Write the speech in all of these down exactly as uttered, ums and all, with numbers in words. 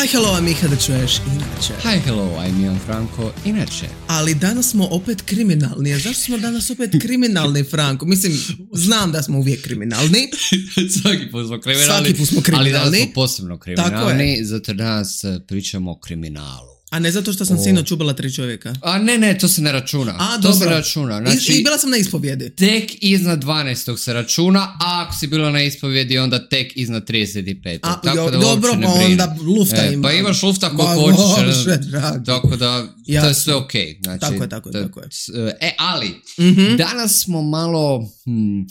Hi, hello, I'm Miha da čuješ inače. Hi, hello, I'm Ian Franko, inače. Ali danas smo opet kriminalni. A zašto smo danas opet kriminalni, Franko? Mislim, znam da smo uvijek kriminalni. Svaki put smo kriminalni. Svaki put smo kriminalni. Ali danas smo posebno kriminalni, zato danas pričamo o kriminalu. A ne zato što sam o... sinoć ubila tri čovjeka. A ne, ne, to se ne računa. A, to dobro. se ne računa. Znači, I, I bila sam na ispovjedi. Tek iznad dvanaestog se računa, a ako si bila na ispovjedi, onda tek iznad trideset petog. A, tako jo, da dobro, pa onda lufta e, ima. Pa imaš lufta koliko hoćeš. Tako da, ja. To je sve okej. Okay. Znači, tako je, tako je, to, tako je. E, ali, mm-hmm. danas smo malo... Hmm,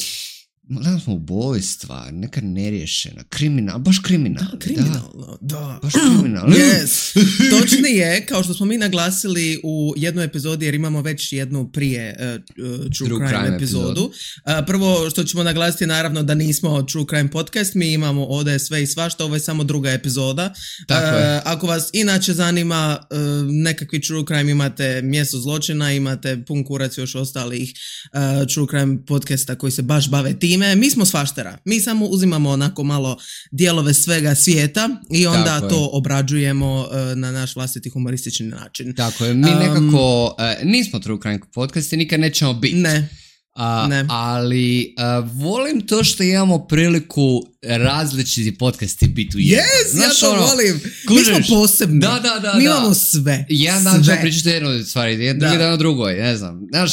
Danas smo ubojstva, neka neriješena, kriminal, baš kriminal. Da, kriminalno, da. da. Baš kriminalno. Yes. Točnije, kao što smo mi naglasili u jednoj epizodi, jer imamo već jednu prije uh, True Drug Crime, crime epizodu. Uh, prvo što ćemo naglasiti naravno da nismo True Crime podcast, mi imamo ovdje sve i svašta, ovo je samo druga epizoda. Tako je. Uh, ako vas inače zanima uh, nekakvi True Crime, imate Mjesto zločina, imate pun kurac još ostalih uh, True Crime podcasta koji se baš bave tim. Mi smo svaštera, mi samo uzimamo onako malo dijelove svega svijeta i onda Tako to je. obrađujemo uh, na naš vlastiti humoristični način. Tako je, mi um, nekako uh, nismo True Crime podcast i nikad nećemo biti. Ne. Uh, ne. Ali uh, volim to što imamo priliku različiti podcasti biti u jednom. Yes, Znaš, ja to ono, volim. Kužiš? Mi smo posebni. Da, da, da. Mi da. imamo sve. Jedan dan ćemo pričati jednu stvar, jedan drugi dan o drugoj, ne znam. Znaš,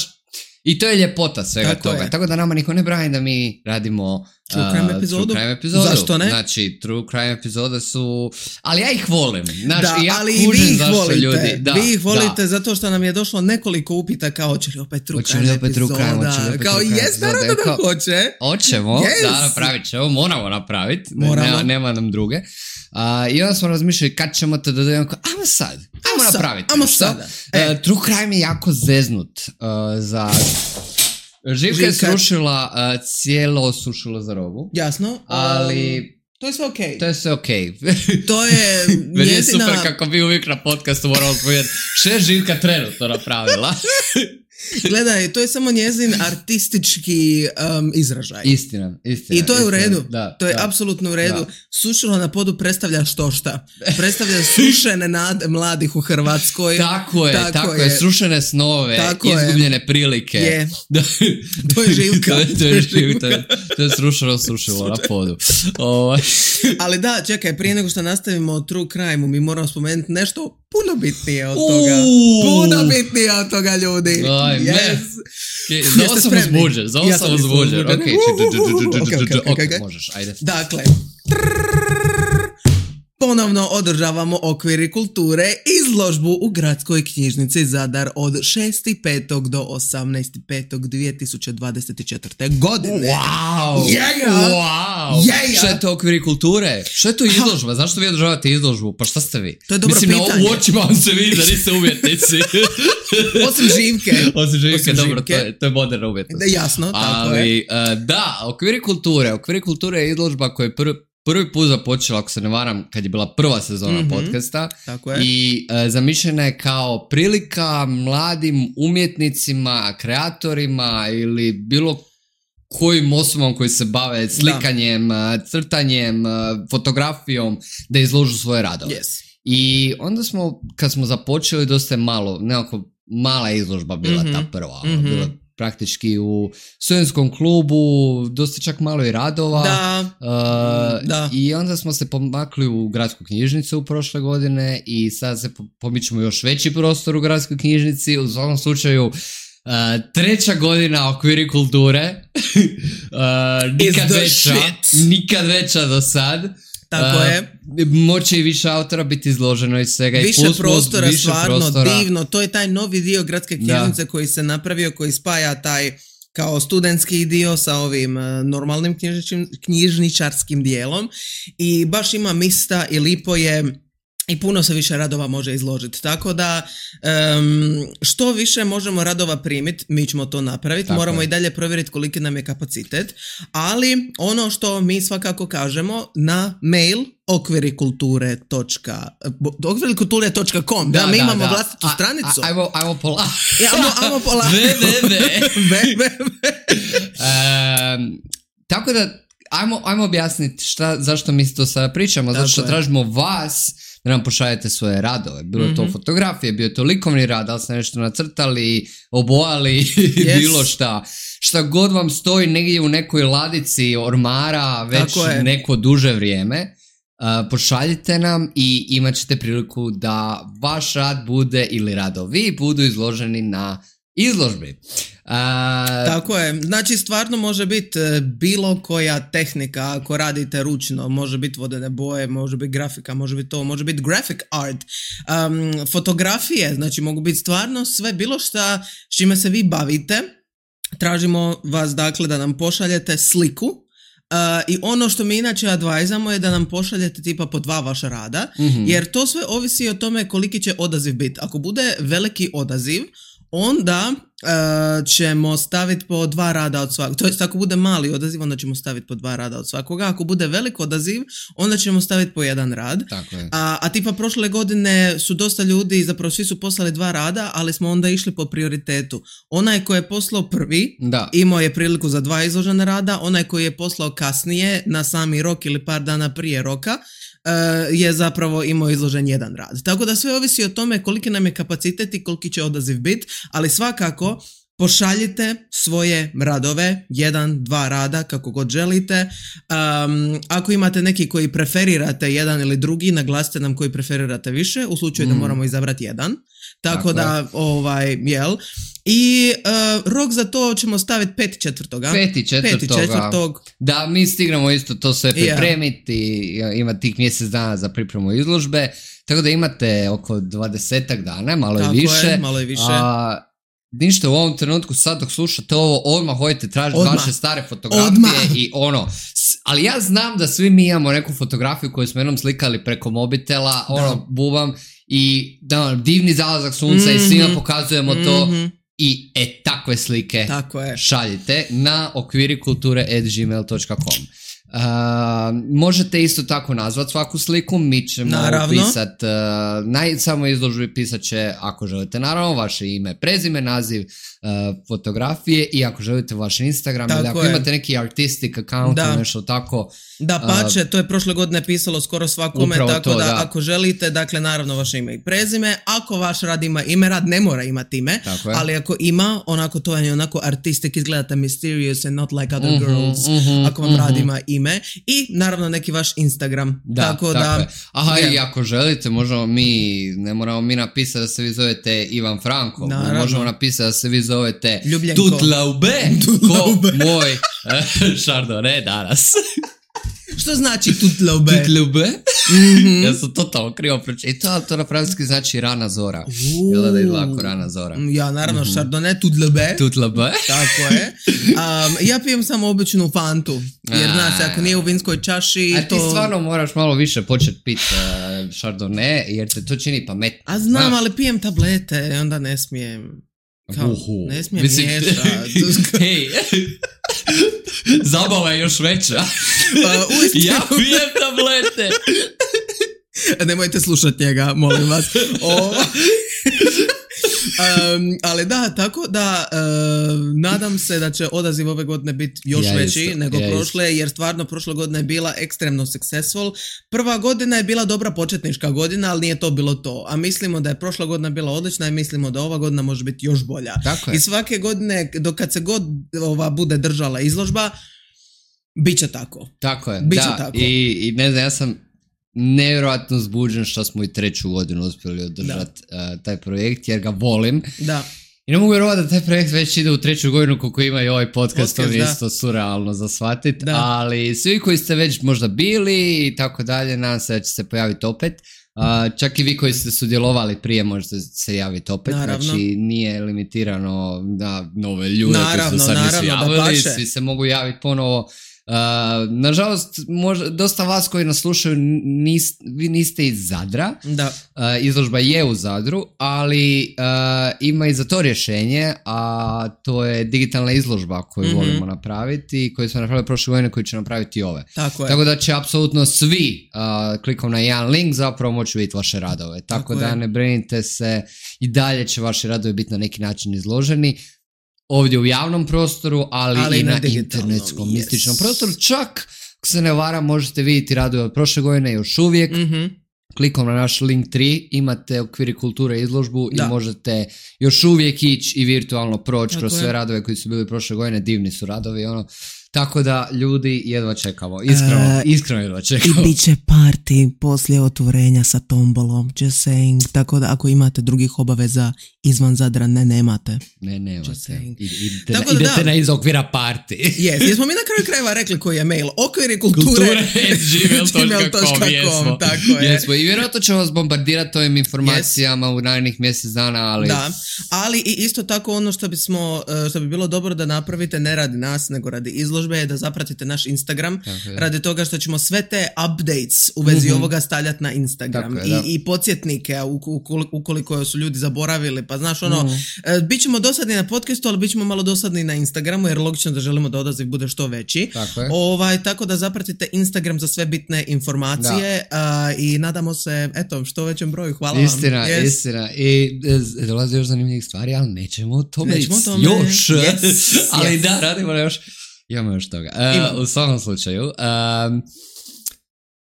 i to je ljepota svega Tako toga. Je. Tako da nama niko ne brani da mi radimo True Crime epizodu. True Crime epizodu. Zašto ne? Znači, True Crime epizode su... Ali ja ih volim. Znači, da, ja ali kužim vi ih zašto volite. ljudi... Da, vi ih volite da. zato što nam je došlo nekoliko upita kao hoće li opet True hoće Crime li opet epizoda. True Crime, hoće li opet kao True Crime jes, naravno da kao, hoće. Hoćemo, yes. da, napravit ćemo, moramo napraviti. Moramo. Nema, nema nam druge. Uh, I onda smo razmišljali kad ćemo to da dojemo, ajmo sad, ajmo napraviti. Ajmo sada. E. Uh, True Crime je jako zeznut uh, za... Živka je srušila, uh, cijelo srušila za robu. Jasno. Ali... Um, to je sve okej. Okay. To je sve okej. Okay. To je Meni je njezina... super kako bi uvijek na podcastu moramo spomenuti što je Živka trenutno napravila. Gledaj, to je samo njezin artistički um, izražaj. Istina, istina. I to je u redu. Da, to je da, apsolutno u redu. Da. Sušilo na podu predstavlja što šta. Predstavlja srušene nade mladih u Hrvatskoj. Tako je, tako, tako je. je. Srušene snove, tako izgubljene je. Prilike. Je. To je Živka. to, je, to je Živka. To je srušeno, srušilo na podu. Oh. Ali da, čekaj, prije nego što nastavimo o True Crime-u, mi moramo spomenuti nešto puno bitnije od toga. Uh. Puno bitnije od toga, ljudi. Aj, yes. ne. Okay, za ovo sam uzbuđen, za ovo sam uzbuđen. Ok, možeš, ajde. Dakle, ponovno održavamo Okviri kulture izložbu u Gradskoj knjižnici Zadar od šestog petog do osamnaestog petog dvije tisuće dvadeset četvrte. godine. Wow! Yeah! Wow! Yeah! Šta je to Okviri kulture? Šta je to izložba? Zašto vi održavate izložbu? Pa šta ste vi? To je dobro Mislim, pitanje. Mislim, na očima vam se vidi da niste umjetnici. Osim Živke. Osim Živke, Osim dobro, živke. To, je, to je moderna umjetnost. Da, jasno, tako Ali, je. Uh, da, Okviri kulture. Okviri kulture je izložba koja je prvi Prvi put započela, ako se ne varam, kad je bila prva sezona mm-hmm. podcasta. Tako je. I e, zamišljena je kao prilika mladim umjetnicima, kreatorima ili bilo kojim osobama koji se bave slikanjem, da. crtanjem, fotografijom, da izložu svoje radove. Yes. I onda smo, kad smo započeli, dosta je malo, nekako mala izložba bila mm-hmm. ta prva. Mm-hmm. Bila praktički u studentskom klubu, dosta čak malo i radova. Da, uh, da. I onda smo se pomakli u Gradsku knjižnicu u prošle godine i sad se pomičemo još veći prostor u Gradskoj knjižnici. U svakom slučaju, uh, treća godina Okviri kulture. uh, nikad veća, nikad veća do sad. Tako uh, je. Moće i više autora biti izloženo iz svega. Više i prostora, više stvarno prostora. Divno. To je taj novi dio Gradske knjižnice da. Koji se napravio, koji spaja taj kao studentski dio sa ovim uh, normalnim knjižničarskim dijelom i baš ima mista i lipo je i puno se više radova može izložiti. Tako da um, što više možemo radova primiti, mi ćemo to napraviti. Tako Moramo je. I dalje provjeriti koliki nam je kapacitet. Ali ono što mi svakako kažemo na mail okvirikulture točka com da, da mi da, imamo da. vlastitu a, stranicu. A, ajmo, ajmo pola. Ja, ajmo, ajmo pola. Ve, ve, ve. ve, ve, ve. Um, tako da ajmo, ajmo objasniti šta, zašto mi to sada pričamo. Zato što je. tražimo vas da nam pošaljete svoje radove. Bilo mm-hmm. to fotografije, bio to likovni rad, da li ste nešto nacrtali, obojali, yes. bilo šta. Šta god vam stoji negdje u nekoj ladici ormara već neko duže vrijeme, uh, pošaljite nam i imat ćete priliku da vaš rad bude ili radovi budu izloženi na izložbi. Uh, Tako je, znači stvarno može biti bilo koja tehnika ako radite ručno, može biti vodene boje, može biti grafika, može biti to, može biti graphic art, um, fotografije, znači mogu biti stvarno sve bilo šta s čime se vi bavite. Tražimo vas dakle da nam pošaljete sliku uh, i ono što mi inače advajzamo je da nam pošaljete tipa po dva vaša rada, mm-hmm. jer to sve ovisi o tome koliki će odaziv biti. Ako bude veliki odaziv, onda uh, ćemo staviti po dva rada od svakog. To jest, ako bude mali odaziv, onda ćemo staviti po dva rada od svakoga. Ako bude velik odaziv, onda ćemo staviti po jedan rad. Tako je. A, a tipa prošle godine su dosta ljudi, zapravo svi su poslali dva rada, ali smo onda išli po prioritetu. Onaj koji je poslao prvi, da. imao je priliku za dva izložena rada. Onaj koji je poslao kasnije, na sami rok ili par dana prije roka, Uh, je zapravo imao izložen jedan rad. Tako da sve ovisi o tome koliki nam je kapacitet i koliki će odaziv biti, ali svakako pošaljite svoje radove, jedan, dva rada, kako god želite. Um, ako imate neki koji preferirate jedan ili drugi, naglasite nam koji preferirate više, u slučaju mm. da moramo izabrati jedan. Tako, Tako da, je. ovaj, jel. I uh, rok za to ćemo staviti peti četvrtoga. Peti četvrtog. Da, mi stignemo isto to sve pripremiti, yeah. ima tih mjesec dana za pripremu izložbe, tako da imate oko dvadesetak dana, malo Tako i više. Je, malo i više. A, ništa u ovom trenutku, sad dok slušate ovo, odmah hodite tražiti odmah. vaše stare fotografije odmah. I ono, ali ja znam da svi mi imamo neku fotografiju koju smo jednom slikali preko mobitela, da. ono, bubam, i da, divni zalazak sunca mm-hmm. i svima pokazujemo mm-hmm. to i e, takve slike Tako je. šaljite na okvirikulture at gmail dot com. Uh, možete isto tako nazvat svaku sliku, mi ćemo pisat uh, na samo izložbi pisat će, ako želite, naravno vaše ime, prezime, naziv uh, fotografije i ako želite vaš Instagram tako ili ako je. imate neki artistic account ili nešto tako. Da, pače, uh, to je prošle godine pisalo skoro svakome, tako to, da, da ako želite, dakle naravno vaše ime i prezime, ako vaš rad ima ime, rad ne mora imati ime, ali ako ima, onako to je onako artistic, izgledate mysterious and not like other uh-huh, girls, uh-huh, ako vam uh-huh. rad ima ime i naravno neki vaš Instagram. Da, tako, tako da, je. Aha, je. I ako želite, možemo mi, ne moramo mi napisati da se vi zovete Ivan Franko, naravno. možemo napisati da se vi zovete Ljubljenko. Tutlaube, ko moj Chardonnay danas. Što znači tutlaube? Tutlaube? Mm-hmm. Ja sam totalno krivo pročitao, ali to na francuski znači rana zora. Jel da je lako rana zora? Ja, naravno, mm-hmm. Chardonnay, tutlaube. Tutlaube. Tako je. Um, ja pijem samo običnu fantu, jer znaš, ako nije u vinskoj čaši... A to... ti stvarno moraš malo više početi pit uh, Chardonnay, jer te to čini pametno. A znam, znaš? Ali pijem tablete, onda ne smijem... Kao, Uhu. Ne smijem Mislim... miješati. Hej, zabava je još veća. Uh, ja pijem tablete. Nemojte slušati njega, molim vas. O... Um, ali da, tako da uh, nadam se da će odaziv ove godine biti još ja veći isto, nego ja prošle, isto. Jer stvarno prošla godina je bila ekstremno successful. Prva godina je bila dobra početnička godina, ali nije to bilo to. A mislimo da je prošla godina bila odlična i mislimo da ova godina može biti još bolja. I svake godine, dok kad se god ova bude držala izložba, bit će tako. Tako je, Biće da. Tako. I, I ne znam, ja sam nevjerojatno zbuđen što smo i treću godinu uspjeli održati uh, taj projekt, jer ga volim. Da. I ne mogu vjerovati da taj projekt već ide u treću godinu koliko ima i ovaj podcast, to mi je isto surrealno za shvatiti. Ali svi koji ste već možda bili i tako dalje, nadam se da će se pojaviti opet. Uh, čak i vi koji ste sudjelovali prije možete se javiti opet. Naravno. Znači nije limitirano na nove ljude naravno, koji su sad nisu javili, svi se mogu javiti ponovo. Uh, nažalost, možda, dosta vas koji nas slušaju nis, vi niste iz Zadra. Da. Uh, izložba je u Zadru, ali uh, ima i za to rješenje, a to je digitalna izložba koju mm-hmm. volimo napraviti i koju smo napravili prošle godine, koju će napraviti i ove. Tako, Tako da će apsolutno svi uh, klikom na jedan link zapravo moći vidjeti vaše radove. Tako, Tako da je. Ne brinite se, i dalje će vaši radovi biti na neki način izloženi. Ovdje u javnom prostoru, ali, ali i na, na internetskom yes. mističnom prostoru. Čak, ako se ne varam, možete vidjeti radove od prošle godine još uvijek. Mm-hmm. klikom na naš link tri imate Okviri kulture izložbu da. I možete još uvijek ići i virtualno proći kroz je. sve radove koji su bili prošle godine, divni su radovi, ono. Tako da, ljudi, jedva čekamo. Iskreno, uh, iskreno jedva čekamo. I bit će party poslije otvorenja sa tombolom. Just saying. Tako da, ako imate drugih obaveza izvan Zadra, ne, nemate. Ne, nemate. I, idete, Tako na, da, idete da. na iz okvira party. Yes, jesmo mi na kraju krajeva rekli koji je mail. Okviri kulture. Kulture gmail dot com. Jesmo. Tako je. Jesmo. I vjerojatno ćemo vas bombardirati ovim informacijama yes. u narednih mjesec dana, ali... Da, ali i isto tako ono što bismo, što bi bilo dobro da napravite, ne radi nas, nego radi izložbe, je da zapratite naš Instagram, okay. radi toga što ćemo sve te updates u vezi mm-hmm. ovoga stavljati na Instagram. Je, I, i podsjetnike ukoliko su ljudi zaboravili, pa znaš ono, mm-hmm. bit ćemo dosadni na podcastu, ali bit ćemo malo dosadni na Instagramu, jer logično da želimo da odaziv bude što veći. Tako, ovaj, tako da zapratite Instagram za sve bitne informacije uh, i nadamo se, eto, što većem broju. Hvala istina, vam. Istina, istina. I dolaze još zanimljivih stvari, ali nećemo o tome, nećemo tome. još. Yes. ali yes. da, radimo još. Imamo još toga. Uh, u svakom slučaju. Um,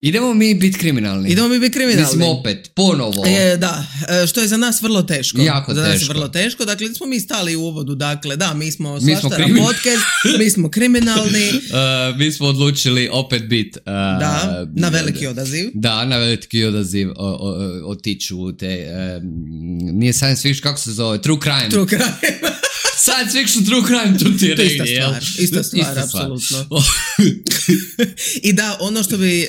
idemo mi biti kriminalni. Idemo mi biti kriminalni. Mislim opet, ponovo. E, da, što je za nas vrlo teško. Jako za teško. nas je vrlo teško. Dakle, smo mi stali u uvodu. Dakle, da, mi smo mi smo Svaštara podcast, mi smo kriminalni. Uh, mi smo odlučili opet biti... Uh, da, na veliki odaziv. Da, na veliki odaziv otići u te... Um, nije science fiction, kako se zove? True crime. True crime. Science fiction, true crime, tu ti je negdje, jel? Ista stvar, apsolutno. I da, ono što bi e,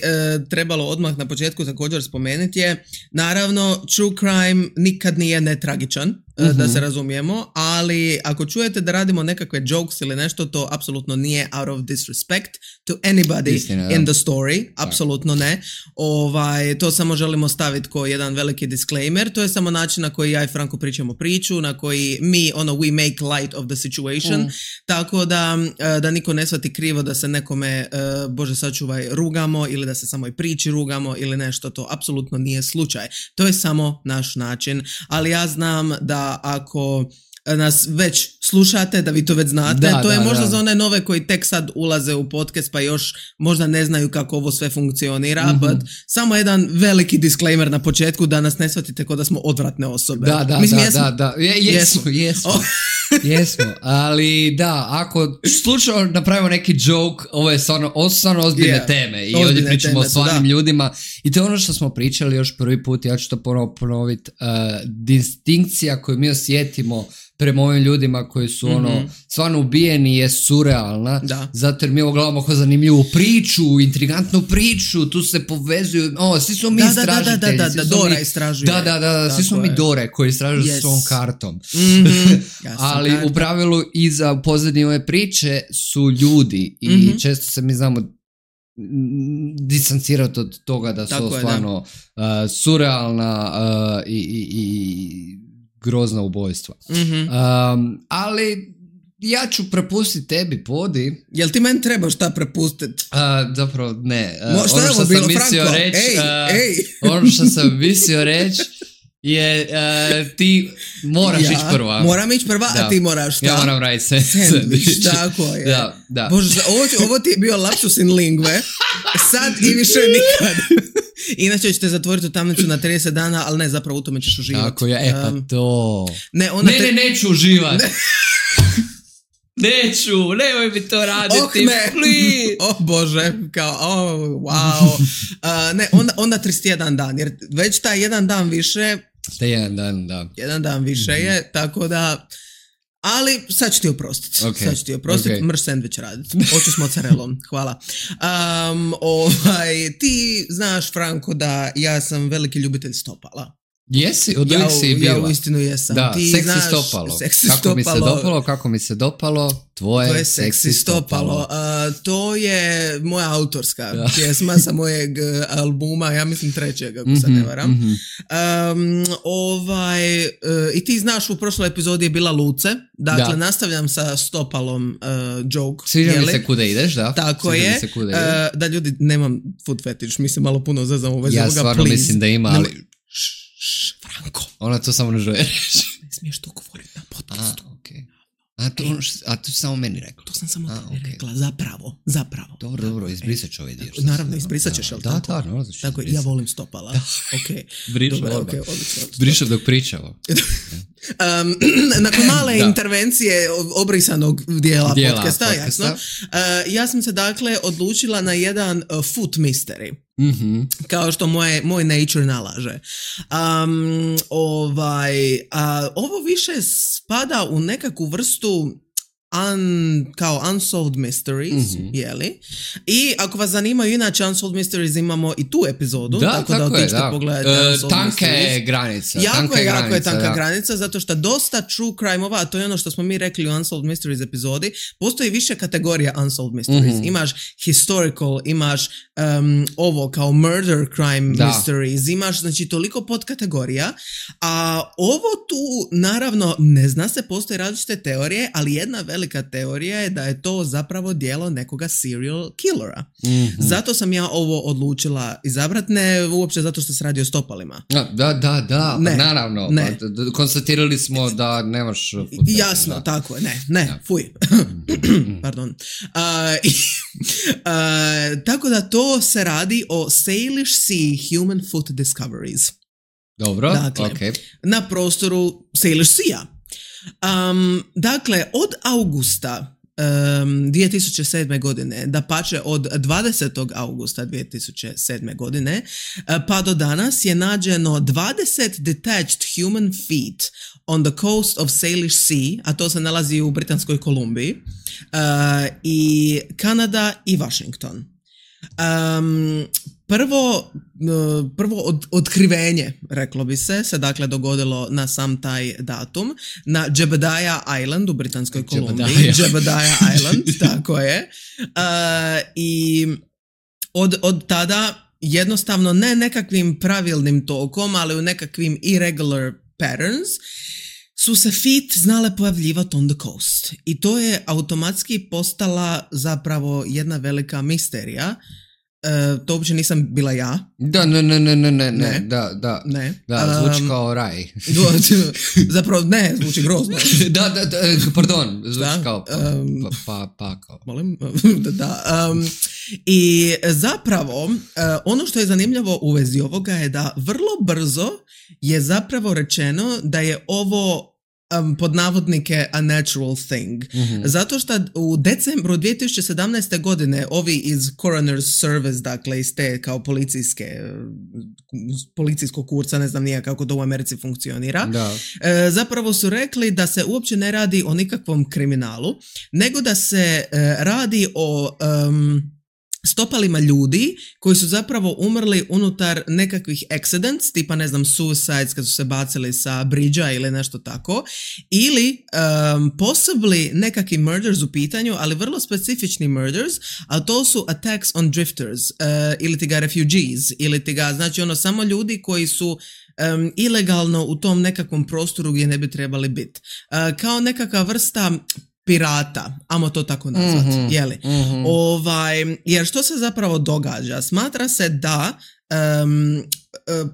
trebalo odmah na početku također spomenuti je, naravno, true crime nikad nije netragičan, uh-huh. da se razumijemo, ali ako čujete da radimo nekakve jokes ili nešto, to apsolutno nije out of disrespect to anybody Istina, in the story, apsolutno ne. Ovaj, to samo želimo staviti kao jedan veliki disclaimer, to je samo način na koji ja i Franko pričamo priču, na koji mi, ono, we make light of the situation, mm. tako da, da niko ne shvati krivo da se nekome, Bože sačuvaj, rugamo ili da se samo i priči rugamo ili nešto, to apsolutno nije slučaj. To je samo naš način, ali ja znam da ako nas već slušate, da vi to već znate, da, to je da, možda da. za one nove koji tek sad ulaze u podcast pa još možda ne znaju kako ovo sve funkcionira, mm-hmm. but samo jedan veliki disclaimer na početku da nas ne shvatite kao da smo odvratne osobe. Da, da, Mislim, da, jesmo, da, da. Je, jesmo, jesmo. jesmo. Oh. Jesmo, ali da, ako slučajno napravimo neki joke, ovo je stvarno, ovo su stvarno ozbiljne yeah. teme i ozbiljne ovdje pričamo o stvarnim da. ljudima i to je ono što smo pričali još prvi put, ja ću to ponovo ponoviti, uh, distinkcija koju mi osjetimo prema ovim ljudima koji su mm-hmm. ono stvarno ubijeni je surrealna, da. zato jer mi ovo gledamo kao zanimljivu priču, intrigantnu priču, tu se povezuju, o, svi smo mi da, istražitelji. Da, da, da, da, da, Dora mi, istražuje. Da, da, da, svi smo je. mi Dore koji istražuju yes. s svom kartom. Mm-hmm. Ali karta. u pravilu iza pozadnje ove priče su ljudi i mm-hmm. često se mi znamo distancirati od toga da su Tako stvarno je, da. Uh, surrealna uh, i, i, i grozna ubojstva. Mm-hmm. Um, ali ja ću prepustiti tebi, Podi. Jel ti meni treba šta prepustiti? Uh, zapravo ne. Uh, Mo, šta ono što sam bilo, mislio reći, ej, uh, ej. ono što sam mislio reći je uh, ti moraš ja, ići prva. Moram ići prva, da. a ti moraš šta? Ja moram raditi se. Sandvič, tako je. Da, da. Bože, ovo, ovo ti je bio lapsus in lingue. Sad i više nikad. Inače ćete zatvoriti u tamnicu na trideset dana, ali ne, zapravo u tome ćeš uživati. Tako je, e pa to. Ne, ona ne, te... ne, neću uživati. Ne. Neću, nemoj mi to raditi, oh, ne. please. O oh, Bože, kao, oh, wow. Uh, ne, onda, onda trideset jedan dan, jer već taj jedan dan više... Taj jedan dan, da. Jedan dan više mm-hmm. je, tako da... Ali sad ću ti oprostiti. Okay. Sad ću ti oprostiti, okay. mrš sandvič raditi. Hoću s mozzarellom, hvala. Um, ovaj, ti znaš, Franko, da ja sam veliki ljubitelj stopala. Jesi, od uvijek si bila. Ja uistinu jesam. Da, ti seksi znaš, stopalo. Seksi kako stopalo. mi se dopalo, kako mi se dopalo, tvoje, tvoje seksi, seksi stopalo. stopalo. Uh, to je moja autorska da. pjesma sa mojeg albuma, ja mislim trećeg, ako mm-hmm, se ne varam. Mm-hmm. Um, ovaj, uh, I ti znaš, u prošloj epizodi je bila Luce, dakle da. nastavljam sa stopalom uh, joke. Sviđa mi se kuda ideš, da. Tako Sviđa je. Uh, da ljudi, nemam food fetish, mislim malo puno zazam u vezi ja ovoga, stvarno please. mislim da ima, ali... Šš, Franko. Ona to samo ne želi reći. Ne smiješ to govoriti na podcastu. A, okay. A to ono što, a to si samo meni rekla? To sam samo a, tebi okay. rekla, zapravo, zapravo. Dobro, dobro, izbrisat ću ovaj dio. Naravno, izbrisat ćeš, jel da, tako? Da, da, no, tako, ja volim stopala. Ok. Brišem, dobro, okay, odlično. Brišem dok pričamo. Um, nakon male intervencije obrisanog dijela, dijela podcasta, podcasta. Jasno, uh, ja sam se dakle odlučila na jedan uh, foot mystery. Mm-hmm. Kao što moje, moj nature nalaže. Um, ovaj, uh, ovo više spada u nekakvu vrstu Un, kao Unsolved Mysteries, mm-hmm. jeli? I ako vas zanimaju inače Unsolved Mysteries, imamo i tu epizodu, da, tako, tako da otičite pogledati uh, Unsolved tanka Mysteries. Je granica, jako tanka je, jako granica, je tanka da. granica, zato što dosta true crime-ova, a to je ono što smo mi rekli u Unsolved Mysteries epizodi, postoji više kategorija Unsolved Mysteries. Mm-hmm. Imaš historical, imaš um, ovo kao murder crime da. mysteries, imaš znači toliko podkategorija, a ovo tu naravno ne zna se, postoje različite teorije, ali jedna velika teorija je da je to zapravo djelo nekoga serial killera. Mm-hmm. Zato sam ja ovo odlučila izabrati, ne uopće zato što se radi o stopalima. Da, da, da, ne, pa naravno. Ne. Pa, konstatirali smo da nemaš futbol. Jasno, da. Tako je, ne, ne, ja. Fuj. Pardon. Uh, i, uh, tako da to se radi o Salish Sea Human Foot Discoveries. Dobro, dakle, okay. Na prostoru Salish Sea. Um, dakle, od augusta um, dvije tisuće sedme godine, dapače od dvadesetog augusta dvije tisuće sedme godine, uh, pa do danas je nađeno dvadeset detached human feet on the coast of Salish Sea, a to se nalazi u Britanskoj Kolumbiji, uh, i Kanada i Washington. Um, prvo prvo od, otkrivenje, reklo bi se, se dakle dogodilo na sam taj datum na Jebediah Island u Britanskoj Kolumbiji. Jebediah Island, tako je. Uh, I od, od tada jednostavno ne nekakvim pravilnim tokom, ali u nekakvim irregular patterns su se feet znale pojavljivati on the coast. I to je automatski postala zapravo jedna velika misterija. Uh, to uopće nisam bila ja. Da, ne, ne, ne, ne, ne, ne, da, da, ne. da, zvuči um, kao raj. Zapravo, ne, zvuči grozno. da, da, da, pardon, zvuči da, kao pa, um, pa, pa, pa, kao. Molim? da, da. Um, I zapravo, uh, ono što je zanimljivo u vezi ovoga je da vrlo brzo je zapravo rečeno da je ovo Um, pod navodnike a natural thing. Mm-hmm. Zato što u decembru dvije tisuće sedamnaeste. godine ovi iz Coroner's Service, dakle iz te kao policijske policijskog kursa, ne znam nije kako to u Americi funkcionira, da. E, zapravo su rekli da se uopće ne radi o nikakvom kriminalu, nego da se e, radi o um, stopalima ljudi koji su zapravo umrli unutar nekakvih accidents, tipa ne znam suicides kad su se bacili sa bridža ili nešto tako, ili um, possibly nekakvi murders u pitanju, ali vrlo specifični murders, a to su attacks on drifters, uh, ili ti ga refugees, ili ti ga, znači ono samo ljudi koji su um, ilegalno u tom nekakvom prostoru gdje ne bi trebali biti. Uh, kao nekakva vrsta pirata, amo to tako nazvati, mm-hmm, jeli? Mm-hmm. Ovaj, jer što se zapravo događa? Smatra se da um,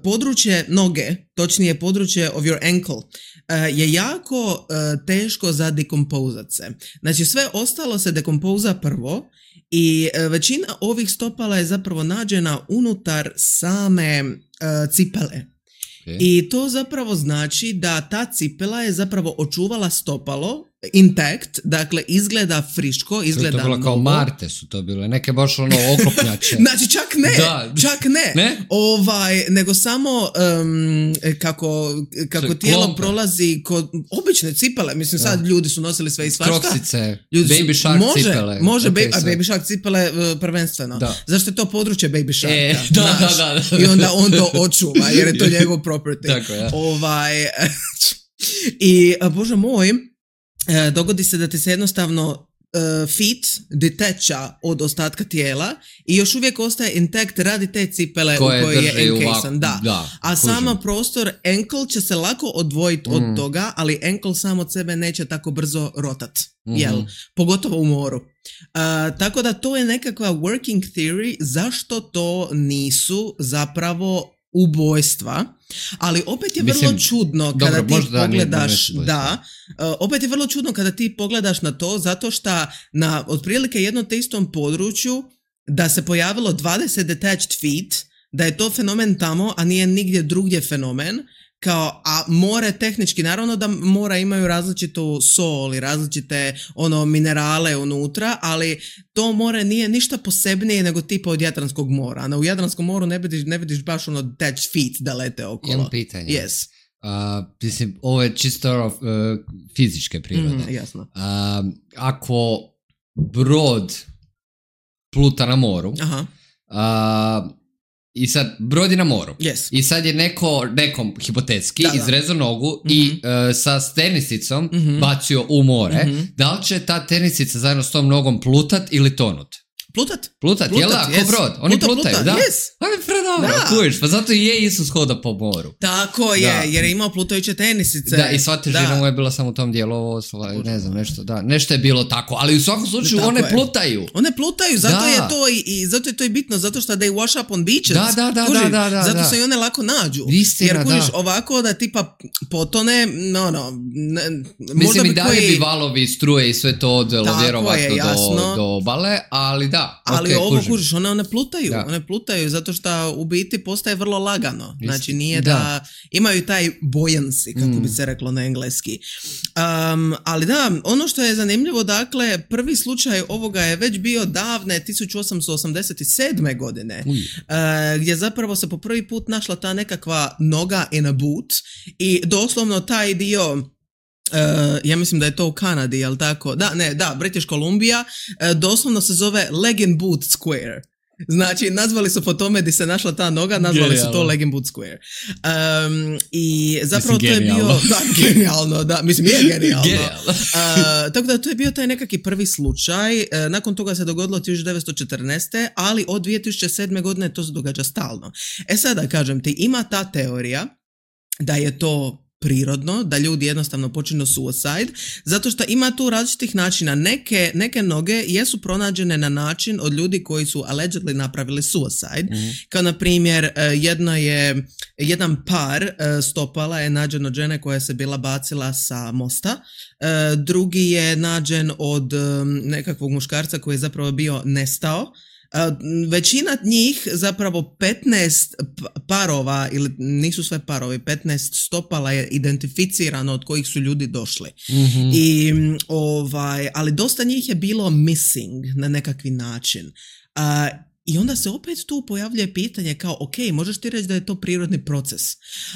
područje noge, točnije područje of your ankle, uh, je jako uh, teško za dekompozat se. Znači sve ostalo se dekompoza prvo i uh, većina ovih stopala je zapravo nađena unutar same uh, cipele. Okay. I to zapravo znači da ta cipela je zapravo očuvala stopalo intact, dakle izgleda friško, izgleda novo. To je bilo kao Marte su to bile, neke baš ono oklopnjače. Znači čak ne, da. čak ne, ne? Ovaj, nego samo um, kako, kako tijelo klompe. Prolazi kod obične cipele, mislim sad da. Ljudi su nosili sve i svašta. Kroksice, baby shark može, cipele. Može, okay, ba- a baby shark cipele uh, prvenstveno. Da. Zašto je to područje baby sharka? E, da, da, da, da. I onda on to očuva jer je to njegov property. Tako, ja. Ovaj, i bože moj, E, dogodi se da ti se jednostavno uh, feet detacha od ostatka tijela i još uvijek ostaje intact radi te cipele koje u kojoj je encasan. Da. Da, a sama prostor ankle će se lako odvojiti mm. od toga, ali ankle sam od sebe neće tako brzo rotat. Mm-hmm. Jel? Pogotovo u moru. Uh, tako da to je nekakva working theory zašto to nisu zapravo ubojstva, ali opet je vrlo Mislim, čudno kada dobro, ti da pogledaš, nije, da, uh, opet je vrlo čudno kada ti pogledaš na to, zato što na otprilike jednom te istom području da se pojavilo dvadeset detached feet, da je to fenomen tamo, a nije nigdje drugdje fenomen, kao, a more tehnički, naravno da mora imaju različitu sol i različite ono minerale unutra, ali to more nije ništa posebnije nego tipa od Jadranskog mora. Na u Jadranskom moru ne vidiš, ne vidiš baš ono detached feet da lete okolo. Jedno pitanje. Yes. Uh, mislim, ovo je čisto uh, fizičke prirode. Mm, jasno. Uh, ako brod pluta na moru, Aha. Uh, i sad brod je na moru, Yes. i sad je neko nekom hipotetski Da, da. izrezao nogu Mhm. i uh, sa tenisicom Mhm. bacio u more. Mhm. Da li će ta tenisica zajedno s tom nogom plutat ili tonut? Plutat? Plutat, jel da? yes. Ko brod? Oni Pluta, plutaju, pluta, da? yes. Ali predobro, Da. kužiš, pa zato i je Isus hoda po moru. Tako je, Da. jer je imao plutajuće tenisice. Da, i sva težina Da. mu je bila samo u tom dijelu, ovo, sla- ne znam, nešto, da, nešto je bilo tako, ali u svakom slučaju Tako one je. plutaju. One plutaju, zato Da. je to i, i zato je to i bitno, zato što they wash up on beaches. Da, da, da, Kužiš? da, da, da, zato da. se i one lako nađu. Istina, Jer kužiš, da. ovako da tipa potone, no, no, ne, možda Mislim, bi i dalje koji... bi valovi, struje i sve to odvelo Tako je, vjerovatno do, jasno. do obale, ali da, Ali okej, ovo kužim. kužiš, one, one plutaju, Da. one plutaju zato što u biti postaje vrlo lagano. Isti- Znači nije da. da. imaju taj buoyancy, kako Mm. bi se reklo na engleski. Um, ali da, ono što je zanimljivo, dakle, prvi slučaj ovoga je već bio davne tisuću osamsto osamdeset sedme godine, Uj. uh, gdje zapravo se po prvi put našla ta nekakva noga in a boot i doslovno taj dio... Uh, ja mislim da je to u Kanadi, jel tako? Da, ne, da, British Columbia, uh, doslovno se zove Leg and Boot Square. Znači, nazvali su po tome di se našla ta noga, nazvali su to Genijalno. Leg and Boot Square. Um, I zapravo Mislim, to je bio... genijalno. Da, genijalno, da, mislim, je genijalno. Genijalno. Uh, tako da to je bio taj nekakvi prvi slučaj. Uh, nakon toga se dogodilo tisuću devetsto četrnaeste. ali od dvije tisuće sedme godine to se događa stalno. E sada, kažem ti, ima ta teorija da je to prirodno, da ljudi jednostavno počinu suicide, zato što ima tu različitih načina. Neke, neke noge jesu pronađene na način od ljudi koji su allegedly napravili suicide, Mhm. kao na primjer eh, jedno je, jedan par eh, stopala je nađen od žene koja se bila bacila sa mosta, eh, drugi je nađen od em, nekakvog muškarca koji je zapravo bio nestao. Uh, većina njih, zapravo petnaest p- parova, ili nisu sve parovi, petnaest stopala je identificirano od kojih su ljudi došli. Mhm. I, mm, ovaj, ali dosta njih je bilo missing na nekakvi način. Uh, I onda se opet tu pojavljuje pitanje kao, ok, možeš ti reći da je to prirodni proces,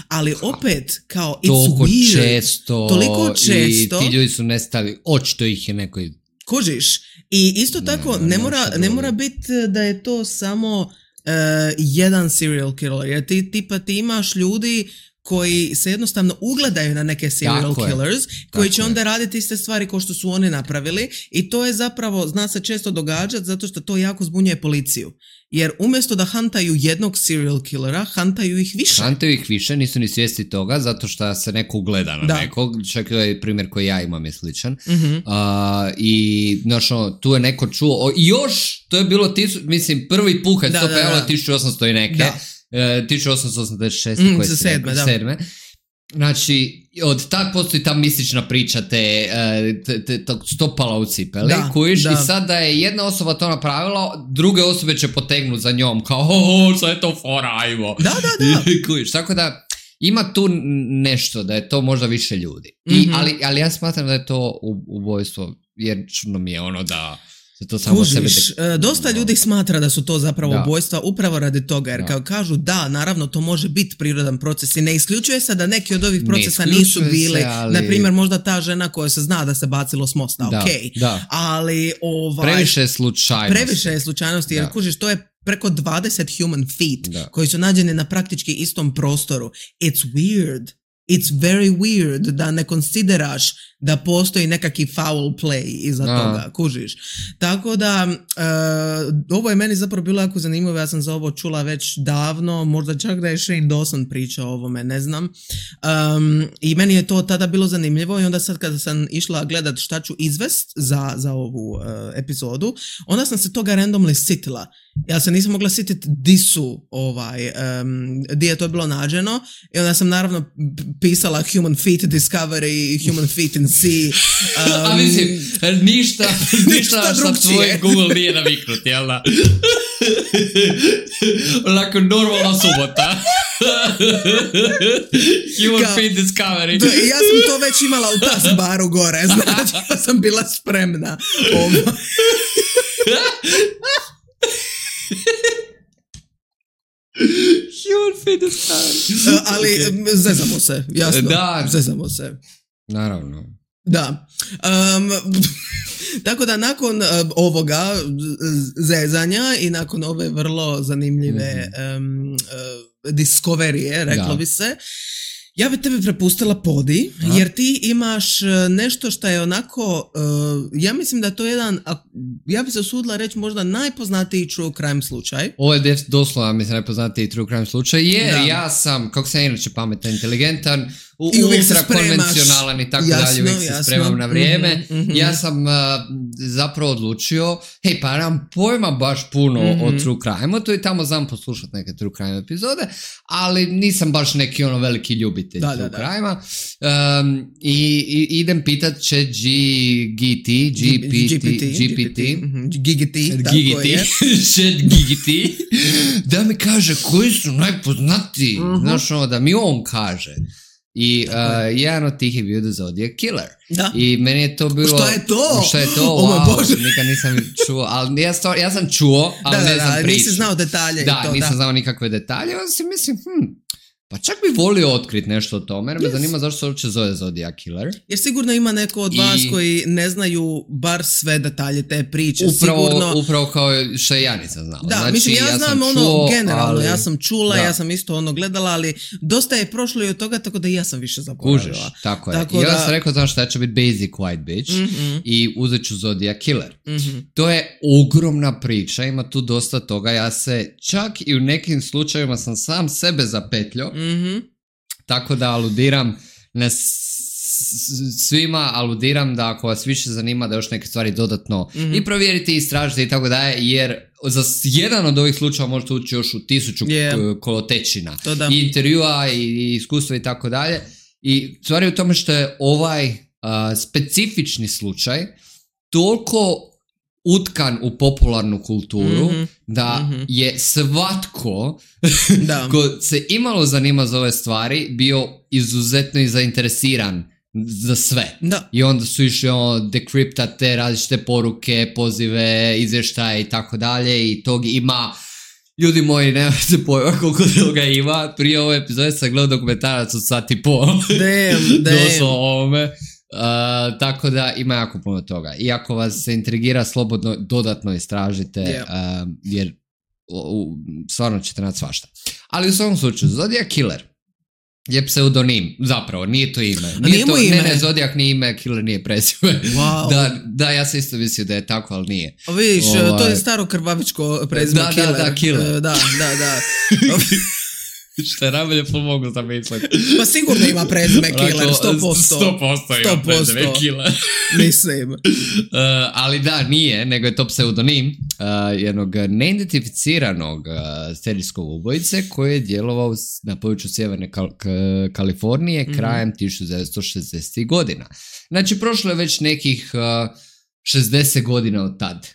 ali opet kao, it's Toliko weird. često, Toliko često. i ti ljudi su nestali, očito ih je neko... Kužiš. I isto Ne, tako, ne, ne, ne, mora, šta ne drugo. mora biti da je to samo uh, jedan serial killer. Jer ti, tipa, ti imaš ljudi koji se jednostavno ugledaju na neke serial Tako je. killers, koji Tako će je. onda raditi iste stvari kao što su oni napravili, i to je zapravo, zna se često događati zato što to jako zbunjuje policiju. Jer umjesto da hantaju jednog serial killera, hantaju ih više. Hantaju ih više, nisu ni svijesti toga, zato što se neko ugleda na Da. nekog, čak je primjer koji ja imam je sličan. Mhm. A, i znaš, ono, tu je neko čuo, o, i još, to je bilo, tisu, mislim, prvi put kad se Da, to da, pojavilo da. tisuću osamsto i neke, Da. e, tisuću osamsto osamdeset šeste Mm, koje za si sedme, rekao, da. sedme. Znači, od tad postoji ta mistična priča te, e, te, te tog stopala u cipeli, Da, kujiš, da. i sad da je jedna osoba to napravila, druge osobe će potegnuti za njom, kao, ho, sad je to fora, ajmo. Da, da, da. Kužiš, tako da ima tu n- nešto, da je to možda više ljudi. I, Mhm. ali, ali ja smatram da je to u- ubojstvo, jer čudno mi je ono da se to samo Kužiš, sebe... e, dosta ljudi smatra da su to zapravo Da. ubojstva upravo radi toga, jer Da. kao kažu da, naravno to može biti prirodan proces i ne isključuje se da neki od ovih Ne procesa isključuje nisu se, bili, ali- na primjer možda ta žena koja se zna da se bacilo s mosta, Da, ok, da. ali ovaj, Previše je slučajnosti. previše je slučajnosti, jer Da. kužiš, to je preko dvadeset human feet Da. koji su nađeni na praktički istom prostoru. It's weird. It's very weird da ne konsideraš da postoji nekakvi foul play iza Da. toga, kužiš. Tako da, e, ovo je meni zapravo bilo jako zanimljivo, ja sam za ovo čula već davno, možda čak da je Shane Dawson pričao o ovome, ne znam. Um, I meni je to tada bilo zanimljivo i onda sad kada sam išla gledat šta ću izvest za, za ovu e, epizodu, onda sam se toga randomly sitila. Ja se nisam mogla sjetiti di su ovaj, um, di je to bilo nađeno i onda sam naravno pisala Human Feet Discovery i Human Feet in Sea. Um, A mislim, ništa, ništa sa tvojim Google nije naviknut, jel da? Onako normalna subota. Human Kao, Feet Discovery. To, ja sam to već imala u taskbaru gore, znači ja sam bila spremna. Ovo. Human Feet Discovery. Uh, ali okay. Zezamo se, jasno. Da. Zezamo se. Naravno. Da. Um, tako da nakon uh, ovoga zezanja i nakon ove vrlo zanimljive um, uh, discoverije, reklo da. bi se, ja bi tebi prepustila podi, Aha. jer ti imaš nešto što je onako, uh, ja mislim da je to jedan, ja bi se usudila reći možda najpoznatiji true crime slučaj. Ovo je doslovno, mislim, najpoznatiji true crime slučaj, jer da. ja sam, kako sam inače pametan, inteligentan, u, ultra konvencionalan i tako jasno, dalje, uvijek jasno. se spremam na vrijeme. Mm-hmm, mm-hmm. Ja sam uh, zapravo odlučio, hej, pa nemam pojma baš puno mm-hmm. o true crime-u, to i tamo znam poslušati neke true crime epizode, ali nisam baš neki ono veliki ljubitelj da, true da, crime-a. Um, i, i idem pitat će G T, G P T, G P T, G G T, tako je. Chat G G T, da mi kaže koji su najpoznatiji, mm-hmm. znaš ono, da mi on kaže. I uh, jedan od tih je bio The Zodiac Killer. Da. I meni je to bilo... Što je to? Što je to? Wow, nikad nisam čuo. Ali ja, stvar, ja sam čuo, ali da, ne znam priču. Da, nisi znao detalje. Da, i to, nisam da. znao nikakve detalje. Onda si mislim, hm, pa čak bi volio otkriti nešto o tome, jer me yes. zanima zašto se uopće zove Zodiac Killer. Jer sigurno ima neko od I... vas koji ne znaju bar sve detalje te priče. Upravo, sigurno... upravo kao što ja nisam znao. Da, znači, mislim, ja, ja znam ono čuo, generalno, ali... ja sam čula, da. ja sam isto ono gledala, ali dosta je prošlo i od toga, tako da i ja sam više zaboravila. Kužiš, tako je. Tako I ja da... sam rekao, znaš, da će biti basic white bitch mm-hmm. i uzet ću Zodiac Killer. Mm-hmm. To je ogromna priča, ima tu dosta toga. Ja se čak i u nekim slučajevima sam sam sebe zapetljao. Mm-hmm. Tako da aludiram na svima, aludiram da ako vas više zanima da još neke stvari dodatno mm-hmm. i provjeriti, istražiti i tako dalje, jer za jedan od ovih slučajeva možete ući još u tisuću yeah. kolotečina i intervjua i iskustva i tako dalje. I stvari u tome što je ovaj uh, specifični slučaj toliko utkan u popularnu kulturu mm-hmm. da mm-hmm. je svatko da. ko se imalo zanima za ove stvari bio izuzetno i zainteresiran za sve. Da. I onda su išli ono dekriptat te različite poruke, pozive, izvještaje i tako dalje i tog ima. Ljudi moji, nemate se pojma koliko toga ima. Prije ove epizode sam gledao dokumentarac od sat i pol. Damn, damn. Doslovno ovome. Uh, tako da ima jako puno toga. I ako vas se intrigira, slobodno dodatno istražite, yeah. uh, jer u, stvarno ćete naći svašta. Ali u svom slučaju, Zodiac Killer je pseudonim, zapravo, nije to ime. Nije, nije to, ime. Ne, ne, Zodiac nije ime, Killer nije prezime. Wow. Da, da, ja sam isto mislio da je tako, ali nije. O, vidiš, ovaj... to je staro krvavičko prezime da, Killer. Da, da, Killer. Uh, da, da, da. Što je najbolje pomoglo da misliti. Pa sigurno ima prezime Killer, sto posto. sto posto ima prezime Killer. Mislim. Uh, ali da, nije, nego je to pseudonim uh, jednog neidentificiranog uh, serijskog ubojice koji je djelovao na području Sjeverne Kal- K- Kalifornije mm-hmm. krajem tisuću devetsto šezdesetih godina. Znači, prošlo je već nekih uh, šezdeset godina od tad.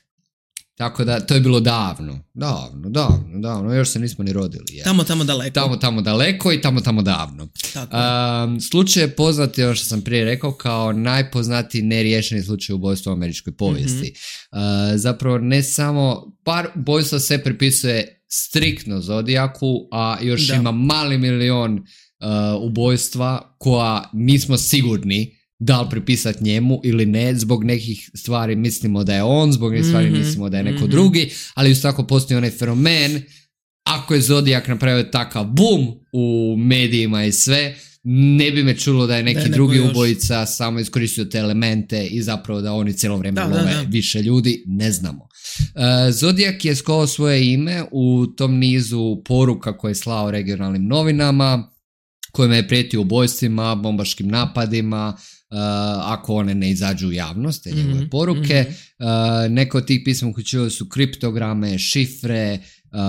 Tako da, to je bilo davno, davno, davno, davno, još se nismo ni rodili. Ja. Tamo, tamo daleko. Tamo, tamo daleko i tamo, tamo davno. Um, slučaj je poznat, ono što sam prije rekao, kao najpoznatiji neriješeni slučaj ubojstva u američkoj povijesti. Mm-hmm. Uh, zapravo ne samo, par ubojstva se pripisuje striktno Zodiacu, a još da. ima mali milion uh, ubojstva koja nismo sigurni da li pripisati njemu ili ne, zbog nekih stvari mislimo da je on, zbog nekih stvari mm-hmm. mislimo da je neko mm-hmm. drugi, ali isto tako postoji onaj fenomen, ako je Zodiac napravio takav boom u medijima i sve, ne bi me čulo da je neki da, drugi ubojica samo iskoristio te elemente i zapravo da oni cijelo vrijeme da, love da, da. više ljudi, ne znamo. Uh, Zodiac je skovao svoje ime u tom nizu poruka koje je slao regionalnim novinama, kojima je prijetio ubojstvima, bombaškim napadima, uh, ako one ne izađu u javnost, te njegove mm-hmm. poruke. Uh, neke od tih pisma uključivali su kriptograme, šifre, uh,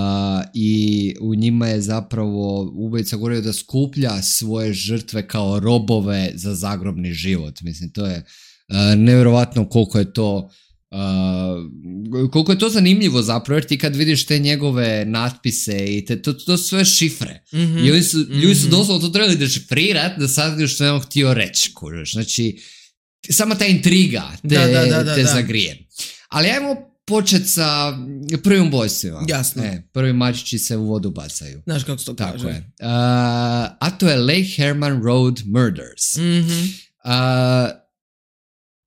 i u njima je zapravo ubojica govorio da skuplja svoje žrtve kao robove za zagrobni život. Mislim, to je uh, nevjerovatno koliko je to Uh, koliko je to zanimljivo zapravo, jer ti kad vidiš te njegove natpise i te, to, to su sve šifre. Mm-hmm. I oni su, mm-hmm. ljudi su doslovno to trebali dešifrirati da sad što je on htio reći, kužeš. Znači, sama ta intriga te, da, da, da, da, te da. zagrije. Ali ajmo početi sa prvim ubojstvima. Jasno. E, prvi mačići se u vodu bacaju. Znaš kako se to Tako kaže. Je. Uh, a to je Lake Herman Road Murders. Mm-hmm. Uh,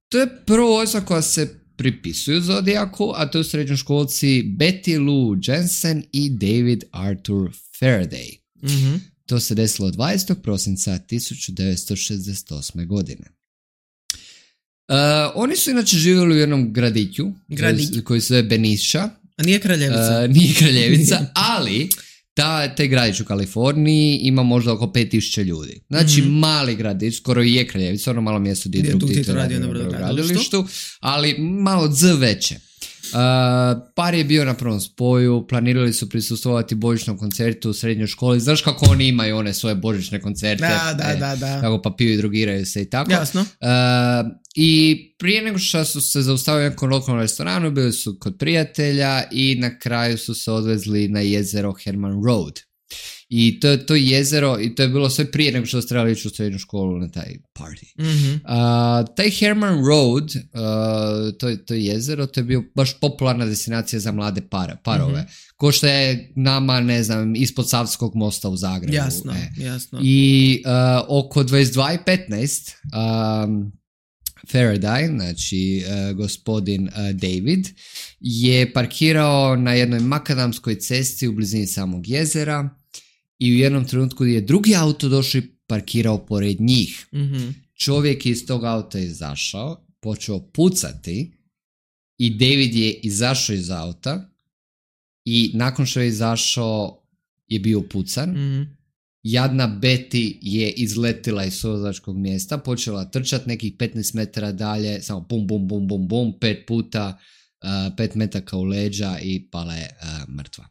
to je prvo ubojstva koja se pripisuju Zodiaku, a to su srednjoškolci Betty Lou Jensen i David Arthur Faraday. Mm-hmm. To se desilo dvadesetog prosinca tisuću devetsto šezdeset osme. godine. Uh, oni su inače živjeli u jednom gradiću Gradić. koji se zove Benicia. A nije Kraljevica? Uh, nije Kraljevica, ali ta, taj gradić u Kaliforniji ima možda oko pet tisuća ljudi. Znači mm-hmm. mali gradić, skoro i je Kraljevica, ono malo mjesto gdje je drug Tito radio na brodogradilištu, ali malo z veće. Uh, par je bio na prvom spoju, planirali su prisustvovati božićnom koncertu u srednjoj školi. Znaš kako oni imaju one svoje božićne koncerte? Da, da, e, da, da. Kako pa piju i drogiraju se i tako. Jasno. Uh, I prije nego što su se zaustavili u nekom lokalnom restoranu, bili su kod prijatelja i na kraju su se odvezli na jezero Herman Road. I to, to jezero, i to je bilo sve prije nego što su trebali ići u srednju školu na taj party. Mm-hmm. Uh, taj Herman Road, uh, to, to jezero, to je bio baš popularna destinacija za mlade par, parove. Mm-hmm. Ko što je nama, ne znam, ispod Savskog mosta u Zagrebu. Jasno, e. jasno. I uh, oko dvadeset dva i petnaest um, Faraday, znači uh, gospodin uh, David, je parkirao na jednoj makadamskoj cesti u blizini samog jezera i u jednom trenutku je drugi auto došao i parkirao pored njih. Mm-hmm. Čovjek je iz tog auta izašao, počeo pucati i David je izašao iz auta i nakon što je izašao je bio pucan. Mm-hmm. Jadna Betty je izletila iz vozačkog mjesta, počela trčati nekih petnaest metara dalje, samo bum, bum, bum, bum, bum, pet puta, uh, pet metaka u leđa i pala je uh, mrtva.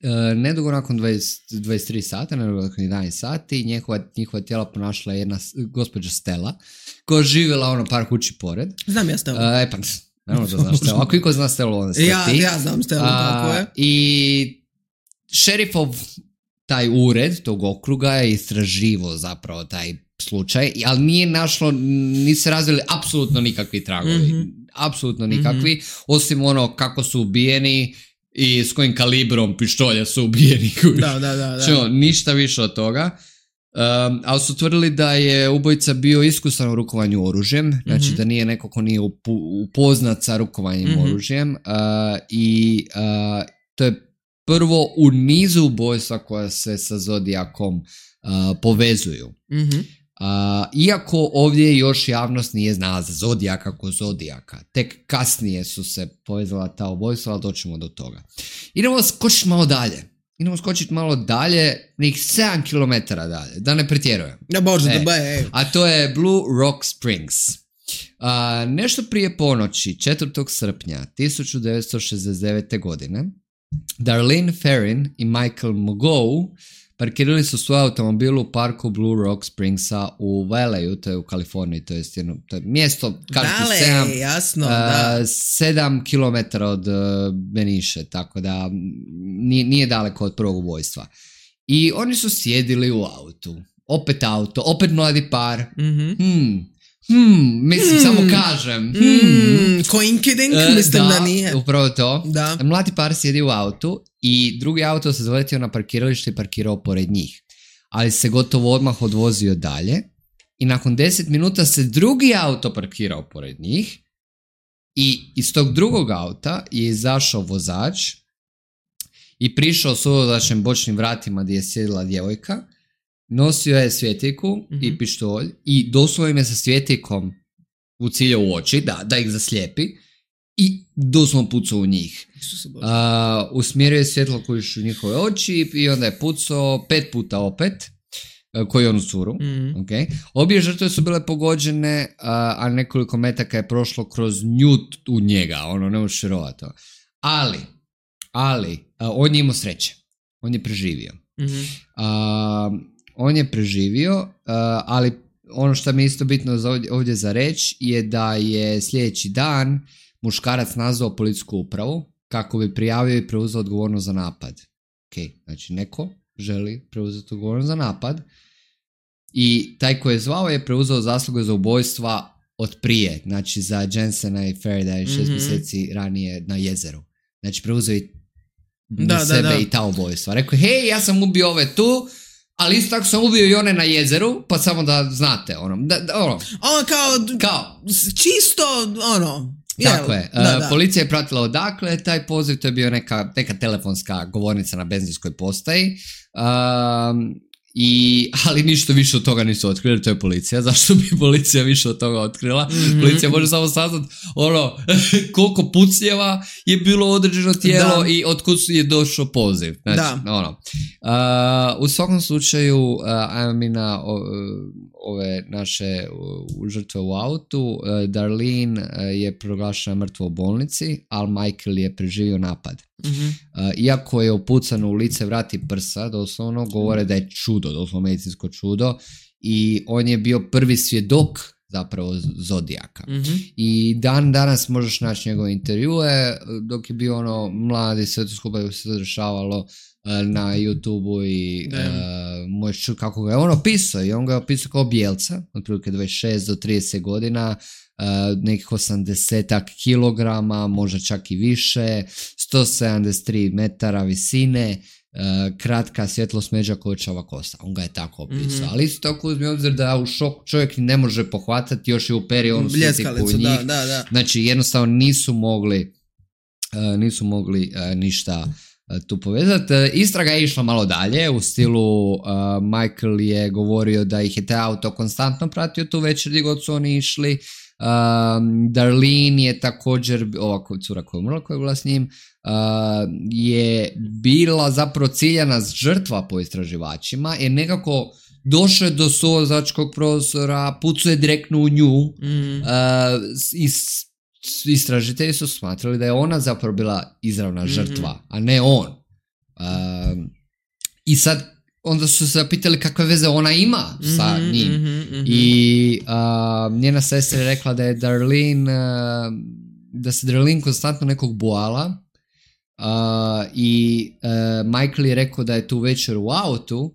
Uh, nedugo nakon dvadeset, dvadeset tri sata, nedugo nakon jedanaest sati, njihova, njihova tijela ponašla jedna gospođa Stella, koja je živjela ono par kući pored. Znam ja Stella. Uh, e pa, naravno da znaš Stella. Ako iko zna Stella, onda sve ja, ti. Ja znam Stella, tako je. I šerifov taj ured tog okruga je istraživao zapravo taj slučaj, ali nije našlo, nisu se razvili apsolutno nikakvi tragovi. Mm-hmm. Apsolutno nikakvi, mm-hmm. osim ono kako su ubijeni i s kojim kalibrom pištolja su ubijeni. Da, da, da. da. Čo, ništa više od toga. Um, ali su tvrdili da je ubojica bio iskusan u rukovanju oružjem, mm-hmm. znači da nije neko ko nije upu, upoznat sa rukovanjem mm-hmm. oružjem uh, i uh, to je prvo u nizu ubojstva koja se sa Zodiakom uh, povezuju. Mm-hmm. Uh, iako ovdje još javnost nije znala za Zodiaka kao Zodiaka. Tek kasnije su se povezala ta ubojstva, ali doćemo do toga. Idemo skočiti malo dalje. Idemo skočiti malo dalje, nekih sedam kilometara dalje, da ne pretjerujem. Ja bože, e, da be. A to je Blue Rock Springs. Uh, nešto prije ponoći, četvrtog srpnja tisuću devetsto šezdeset devete. godine, Darlene Ferrin i Michael Mogoe parkirali su svoj automobil u parku Blue Rock Springsa u Valley, to je u Kaliforniji, to je, jedno, to je mjesto Dale, sedam, jasno, uh, da. sedam kilometara od uh, Beniše, tako da nije, nije daleko od prvog ubojstva. I oni su sjedili u autu, opet auto, opet mladi par, mm-hmm. hmm, Hmm, mislim, hmm. samo kažem. Hmm. Hmm. Coincidence, uh, mislim da, da nije. Upravo to. Da. Mladi par sjedi u autu i drugi auto se zaletio na parkiralište i parkirao pored njih. Ali se gotovo odmah odvozio dalje i nakon deset minuta se drugi auto parkirao pored njih i iz tog drugog auta je izašao vozač i prišao s uvozačnim bočnim vratima gdje je sjedila djevojka. Nosio je svjetiljku mm-hmm. i pištolj i doslovno im je sa svjetiljkom u cilju u oči, da, da ih zaslijepi i doslovno pucao u njih. Uh, usmjerio je svjetlo kojiš u njihove oči i onda je pucao pet puta opet. koji je on u curu. Mm. Okay. Obje žrtve su bile pogođene, a, a nekoliko metaka je prošlo kroz njut u njega, ono, ne možeš vjerovati to. Ali, ali, a, on je imao sreće. On je preživio. Mm-hmm. A, on je preživio, a, ali ono što mi je isto bitno za ovdje, ovdje za reći je da je sljedeći dan muškarac nazvao policijsku upravu kako bi prijavio i preuzeo odgovornost za napad. Ok, znači neko želi preuzeti odgovornost za napad i taj koji je zvao je preuzeo zasluge za ubojstva od prije, znači za Jensena i Faraday šest mm-hmm. mjeseci ranije na jezeru. Znači preuzeo i na da, sebe da, da. i ta ubojstva. Rekao, hej, ja sam ubio ove tu, ali isto tako sam ubio i one na jezeru, pa samo da znate, ono, da, da, ono. Ono kao, kao, čisto, ono, tako je, da, da. Policija je pratila odakle, taj poziv, to je bio neka, neka telefonska govornica na benzinskoj postaji, um, i, ali ništa više od toga nisu otkrili, to je policija. Zašto bi policija više od toga otkrila? Mm-hmm. Policija može samo saznati ono, koliko pucnjeva je bilo određeno tijelo da. I otkud je došao poziv. Znači, da. Ono. Uh, u svakom slučaju, uh, ajmo mi na uh, ove naše uh, žrtve u autu. Uh, Darlene uh, je proglašena mrtva u bolnici, ali Michael je preživio napad. Mm-hmm. Uh, iako je upucan u lice, vrat i prsa, doslovno govore da je čudo, doslovno medicinsko čudo, i on je bio prvi svjedok zapravo Zodijaka. Mm-hmm. I dan danas možeš naći njegove intervjue, dok je bio ono mladi, sve to skupa se dešavalo uh, na YouTube-u i uh, možeš čuti kako ga je on opisao, i on ga je opisao kao bijelca, otprilike dvadeset šest do trideset godina, Uh, nekih osamdeset kilograma, možda čak i više, sto sedamdeset tri metara visine, uh, kratka svjetlo smeđa kočava kosa. On ga je tako opisao. Mm-hmm. Ali isto tako uzmi obzir da u šok čovjek ne može pohvatati, još je u perionu bljeskalicu, njih. da, da, da. Znači jednostavno nisu mogli uh, nisu mogli uh, ništa uh, tu povezati. Uh, istraga je išla malo dalje, u stilu uh, Michael je govorio da ih je taj auto konstantno pratio tu večer gdje god su oni išli. Um, Darlene je također, ova cura koja je umrla, koja je bila s njim, uh, je bila zapravo ciljana žrtva po istraživačima, jer nekako došao je do suvozačkog prostora, pucuje direktno u nju, mm. uh, i istražitelji su smatrali da je ona zapravo bila izravna žrtva, mm-hmm. a ne on. Uh, I sad onda su se zapitali kakve veze ona ima sa mm-hmm, njim. Mm-hmm, mm-hmm. I uh, njena sestra je rekla da je Darlene, uh, da se Darlene konstantno nekog bojala, uh, i uh, Michael je rekao da je tu večer u autu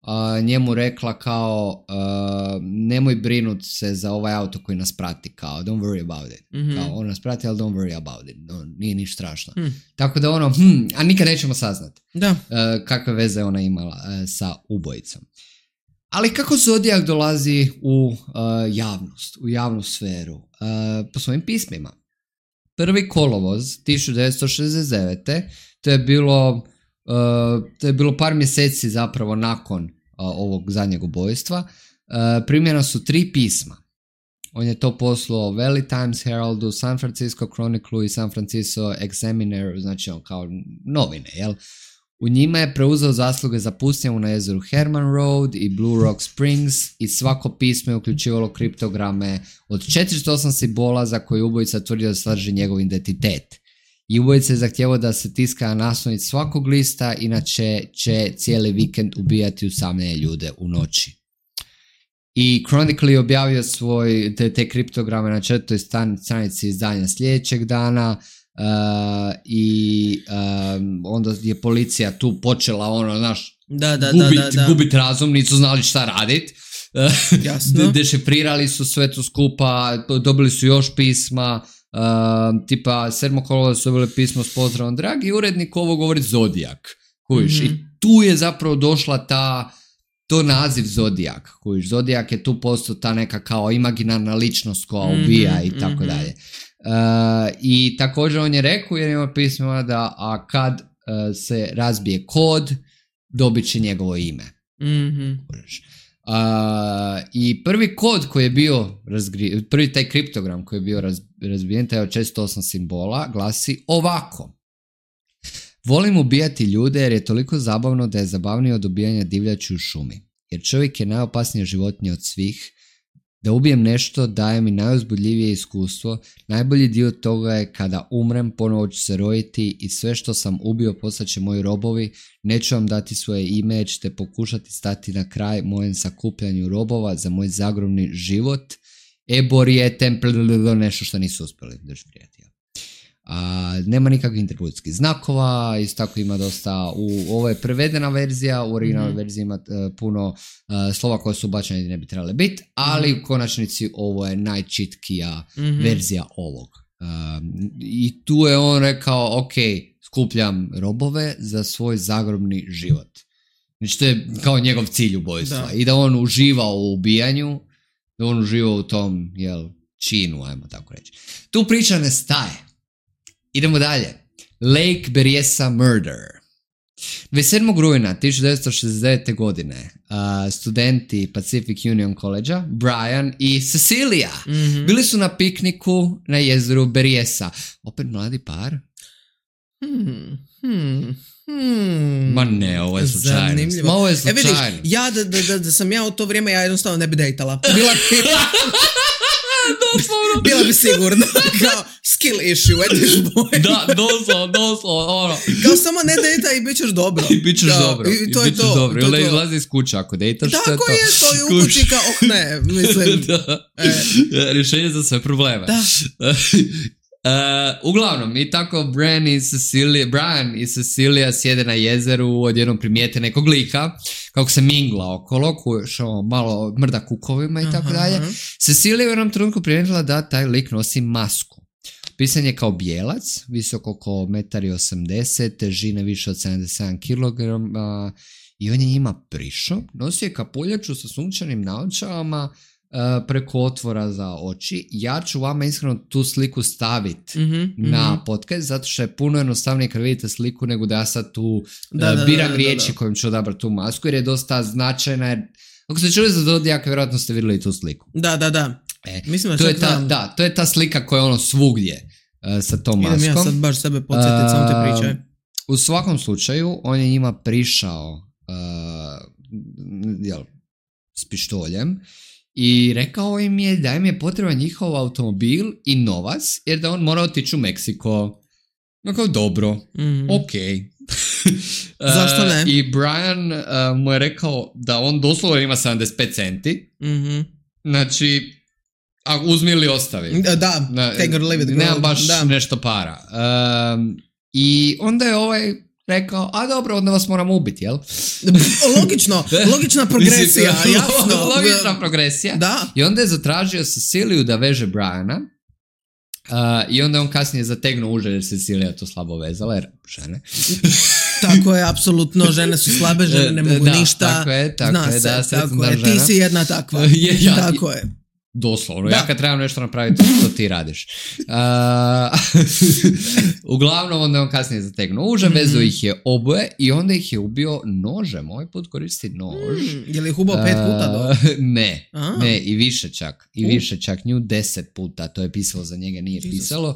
uh, njemu rekla kao uh, nemoj brinut se za ovaj auto koji nas prati, kao don't worry about it. Mm-hmm. Kao on nas prati, ali don't worry about it. No, nije ništa strašno. Mm. Tako da ono, hm, a nikad nećemo saznati da. Uh, kakve veze ona imala uh, sa ubojicom. Ali kako Zodijak dolazi u uh, javnost, u javnu sferu? Uh, po svojim pismima. Prvi kolovoz tisuću devetsto šezdeset devete. To je bilo, uh, to je bilo par mjeseci zapravo nakon uh, ovog zadnjeg ubojstva. Uh, primljena su tri pisma. On je to poslao Valley Times Heraldu, San Francisco Chronicle i San Francisco Examiner, znači on kao novine, jel? U njima je preuzeo zasluge za pucnjavu na jezeru Herman Road i Blue Rock Springs, i svako pismo je uključivalo kriptograme od četiristo osam simbola za koje ubojica tvrdio da sadrži njegov identitet. I ubojica je zahtjevao da se tiska naslovnici svakog lista, inače će cijeli vikend ubijati usamljene ljude u noći. I Chronicle je objavio svoj, te, te kriptograme na četvrtoj stranici izdanja sljedećeg dana. Uh, i um, onda je policija tu počela ono, znaš, da, da, gubit, da, da, da. gubit razum, nisu znali šta radit. Jasno. Dešifrirali su sve to skupa, dobili su još pisma, uh, tipa sedmog kolovoza su dobili pismo s pozdravom dragi urednik, ovo govori Zodijak, kužiš, mm-hmm. i tu je zapravo došla ta to naziv Zodijak, kužiš, Zodijak je tu postao ta neka kao imaginarna ličnost koja ubija, mm-hmm, i tako mm-hmm. dalje. Uh, i također on je rekao jer ima pismima da a kad uh, se razbije kod, dobit će njegovo ime. Mm-hmm. Uh, i prvi kod koji je bio razgri... prvi taj kriptogram koji je bio raz... razbijen, taj od često osam simbola, glasi ovako: volim ubijati ljude jer je toliko zabavno da je zabavnije od ubijanja divljači u šumi. jer čovjek je najopasnija životinja od svih. Da ubijem nešto daje mi najuzbudljivije iskustvo. Najbolji dio toga je kada umrem, ponovo ću se roditi i sve što sam ubio postaće moji robovi. Neću vam dati svoje ime, jer ćete pokušati stati na kraj mojem sakupljanju robova za moj zagrobni život. Eborijetem, nešto što nisu uspjeli drži prijatelja. A, nema nikakvih interpuljskih znakova, isto tako ima dosta, u, ovo je prevedena verzija, u originalnoj mm-hmm. verziji ima uh, puno uh, slova koje su ubačene i ne bi trebale biti, ali mm-hmm. u konačnici ovo je najčitkija mm-hmm. verzija ovog. Um, I tu je on rekao, ok, skupljam robove za svoj zagrobni život. Znači to je kao njegov cilj ubojstva. Da. I da on uživa u ubijanju, da on uživa u tom, jel, činu, ajmo tako reći. Tu priča ne staje. Idemo dalje. Lake Berryessa Murder. dvadeset sedmog rujna tisuću devetsto šezdeset devete. godine uh, studenti Pacific Union College-a, Brian i Cecilia, mm-hmm. bili su na pikniku na jezeru Berryessa. Opet mladi par? Hmm, hmm, hmm. Ma ne, ovo je slučajno. Ma ovo je slučajno. E vidiš, ja da, da, da, da sam ja u to vrijeme, ja jednostavno ne bi dejtala. Bila bi... doslovno. Bila bi sigurno. Kao skill issue at this point. Da, doslovno, doslovno. Ono. Kao samo ne dejta i bit ćeš dobro. I bit ćeš da, dobro. I to I je to. dobro. To I je izlazi iz kuće ako dejtaš. Tako je, to je u kući kao, oh ne, mislim. Da. E. Rješenje za sve probleme. Da. Uh, uglavnom, i tako Brian i Cecilia, Brian i Cecilia sjede na jezeru, odjednom primijete nekog lika, kako se mingla okolo, što malo mrda kukovima i tako dalje. Cecilia je u jednom trenutku primijetila da taj lik nosi masku. Pisan je kao bijelac, visok oko jedan osamdeset metra, težine više od sedamdeset sedam kilograma i on je njima prišao, nosio je kapuljaču sa sunčanim naočalama, Uh, preko otvora za oči. Ja ću vama iskreno tu sliku staviti mm-hmm, na mm-hmm. podcast, zato što je puno jednostavnije kad vidite sliku nego da ja sad tu da, uh, da, biram da, riječi da, da. kojim ću odabrati tu masku, jer je dosta značajna. Jer, ako ste čuli za Zodijaka, vjerojatno ste vidjeli tu sliku. Da, da, da. E, Mislim da to, je ta, da, to je ta slika koja je ono svugdje uh, sa tom maskom. Idem ja sad baš sebe podsjetiti, uh, samo te pričaj. U svakom slučaju, on je njima prišao uh, jel, s pištoljem i rekao im je da im je potreban njihov automobil i novac, jer da on mora otići u Meksiko. No kao dobro, mm-hmm. ok. Zašto ne? Uh, I Brian uh, mu je rekao da on doslovno ima sedamdeset pet centi. Mm-hmm. Znači, a uzmi ili ostavi. Da, da. Na, take or leave it. Nema baš da. nešto para. Um, I onda je ovaj rekao, a dobro, onda vas moram ubiti, jel? Logično, logična progresija, jasno. Logična progresija. Da. I onda je zatražio Ceciliju da veže Briana. Uh, I onda je on kasnije zategnuo uže jer Cecilija to slabo vezala, jer žene. Tako je, apsolutno, žene su slabe, žene ne mogu da, ništa. Tako je, tako Zna je, se, da, tako je. Žena. Ti si jedna takva. je, ja, tako je. Doslovno, da. Ja kad trebam nešto napraviti, to ti radiš. Uh, uglavnom, onda on kasnije zategnuo uže, mm-hmm. vezu ih je oboje i onda ih je ubio nožem. Ovaj put koristi nož. Mm, je li ih ubao pet puta do? Uh, ne, A. ne, i više čak. I uh. više čak, nju deset puta, to je pisalo za njega, nije Jesus. pisalo. Uh,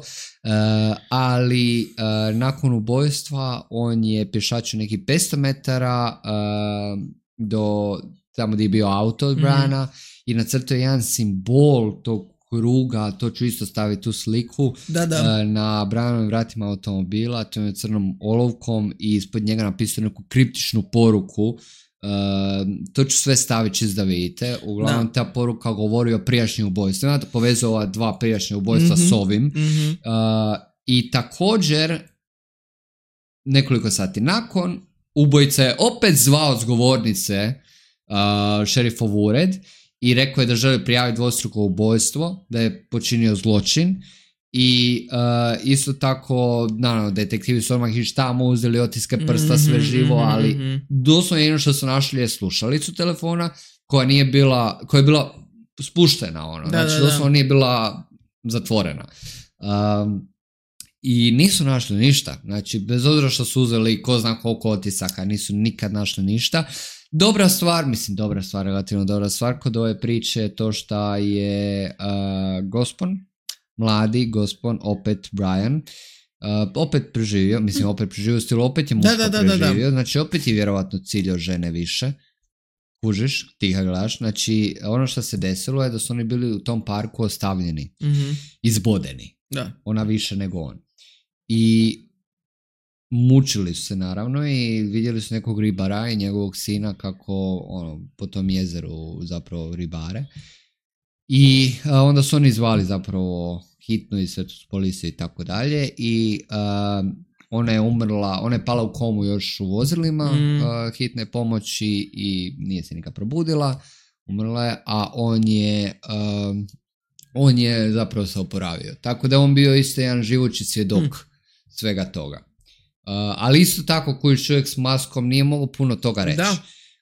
ali uh, nakon ubojstva on je pješačio neki petsto metara uh, do tamo gdje je bio auto od Briana mm. i nacrtao je jedan simbol tog kruga, to ću isto staviti tu sliku, da, da. Uh, na Brianovim vratima automobila, to je crnom olovkom i ispod njega napisao neku kriptičnu poruku. Uh, to ću sve staviti čist da vidite. Uglavnom da. Ta poruka govori o prijašnjim ubojstvima, povezuje ova dva prijašnje ubojstva mm-hmm. s ovim. Mm-hmm. Uh, I također nekoliko sati nakon ubojica je opet zvao s govornice uh, šerifov ured i rekao je da želi prijaviti dvostruko ubojstvo, da je počinio zločin i uh, isto tako, naravno, detektivi su odmah iš tamo uzeli otiske prsta, mm-hmm, sve živo, ali mm-hmm. doslovno jedno što su našli je slušalicu telefona koja nije bila, koja je bila spuštena, ono, da, znači da, doslovno da. Nije bila zatvorena. Um, I nisu našli ništa, znači bez obzira što su uzeli ko zna koliko otisaka, nisu nikad našli ništa. Dobra stvar, mislim dobra stvar, relativno dobra stvar kod ove priče je to što je uh, gospon, mladi gospon, opet Brian, uh, opet preživio, mislim opet preživio stilu, opet je muško da, da, da, preživio, da, da. Znači opet je vjerovatno ciljao žene više. kužiš, ti ga gledaš, znači ono što se desilo je da su oni bili u tom parku ostavljeni, mm-hmm. izbodeni, da. Ona više nego on. I mučili su se naravno i vidjeli su nekog ribara i njegovog sina kako ono, po tom jezeru zapravo ribare. I a, onda su oni zvali zapravo hitnu i svetu policiju i tako dalje i a, ona je umrla, ona je pala u komu još u vozilima mm. a, hitne pomoći i nije se nikad probudila, umrla je, a on je a, on je zapravo se oporavio. Tako da on bio isto jedan živući svjedok mm. svega toga. Uh, ali isto tako koji čovjek s maskom nije mogao puno toga reći.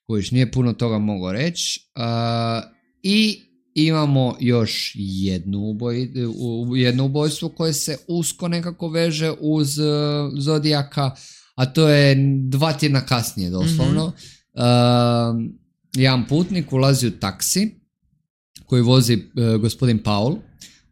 Koji nije puno toga mogao reći. Uh, I imamo još jednu uboj, u, jedno ubojstvo koje se usko nekako veže uz uh, Zodijaka, a to je dva tjedna kasnije doslovno. Mm-hmm. Uh, jedan putnik ulazi u taksi koji vozi uh, gospodin Paul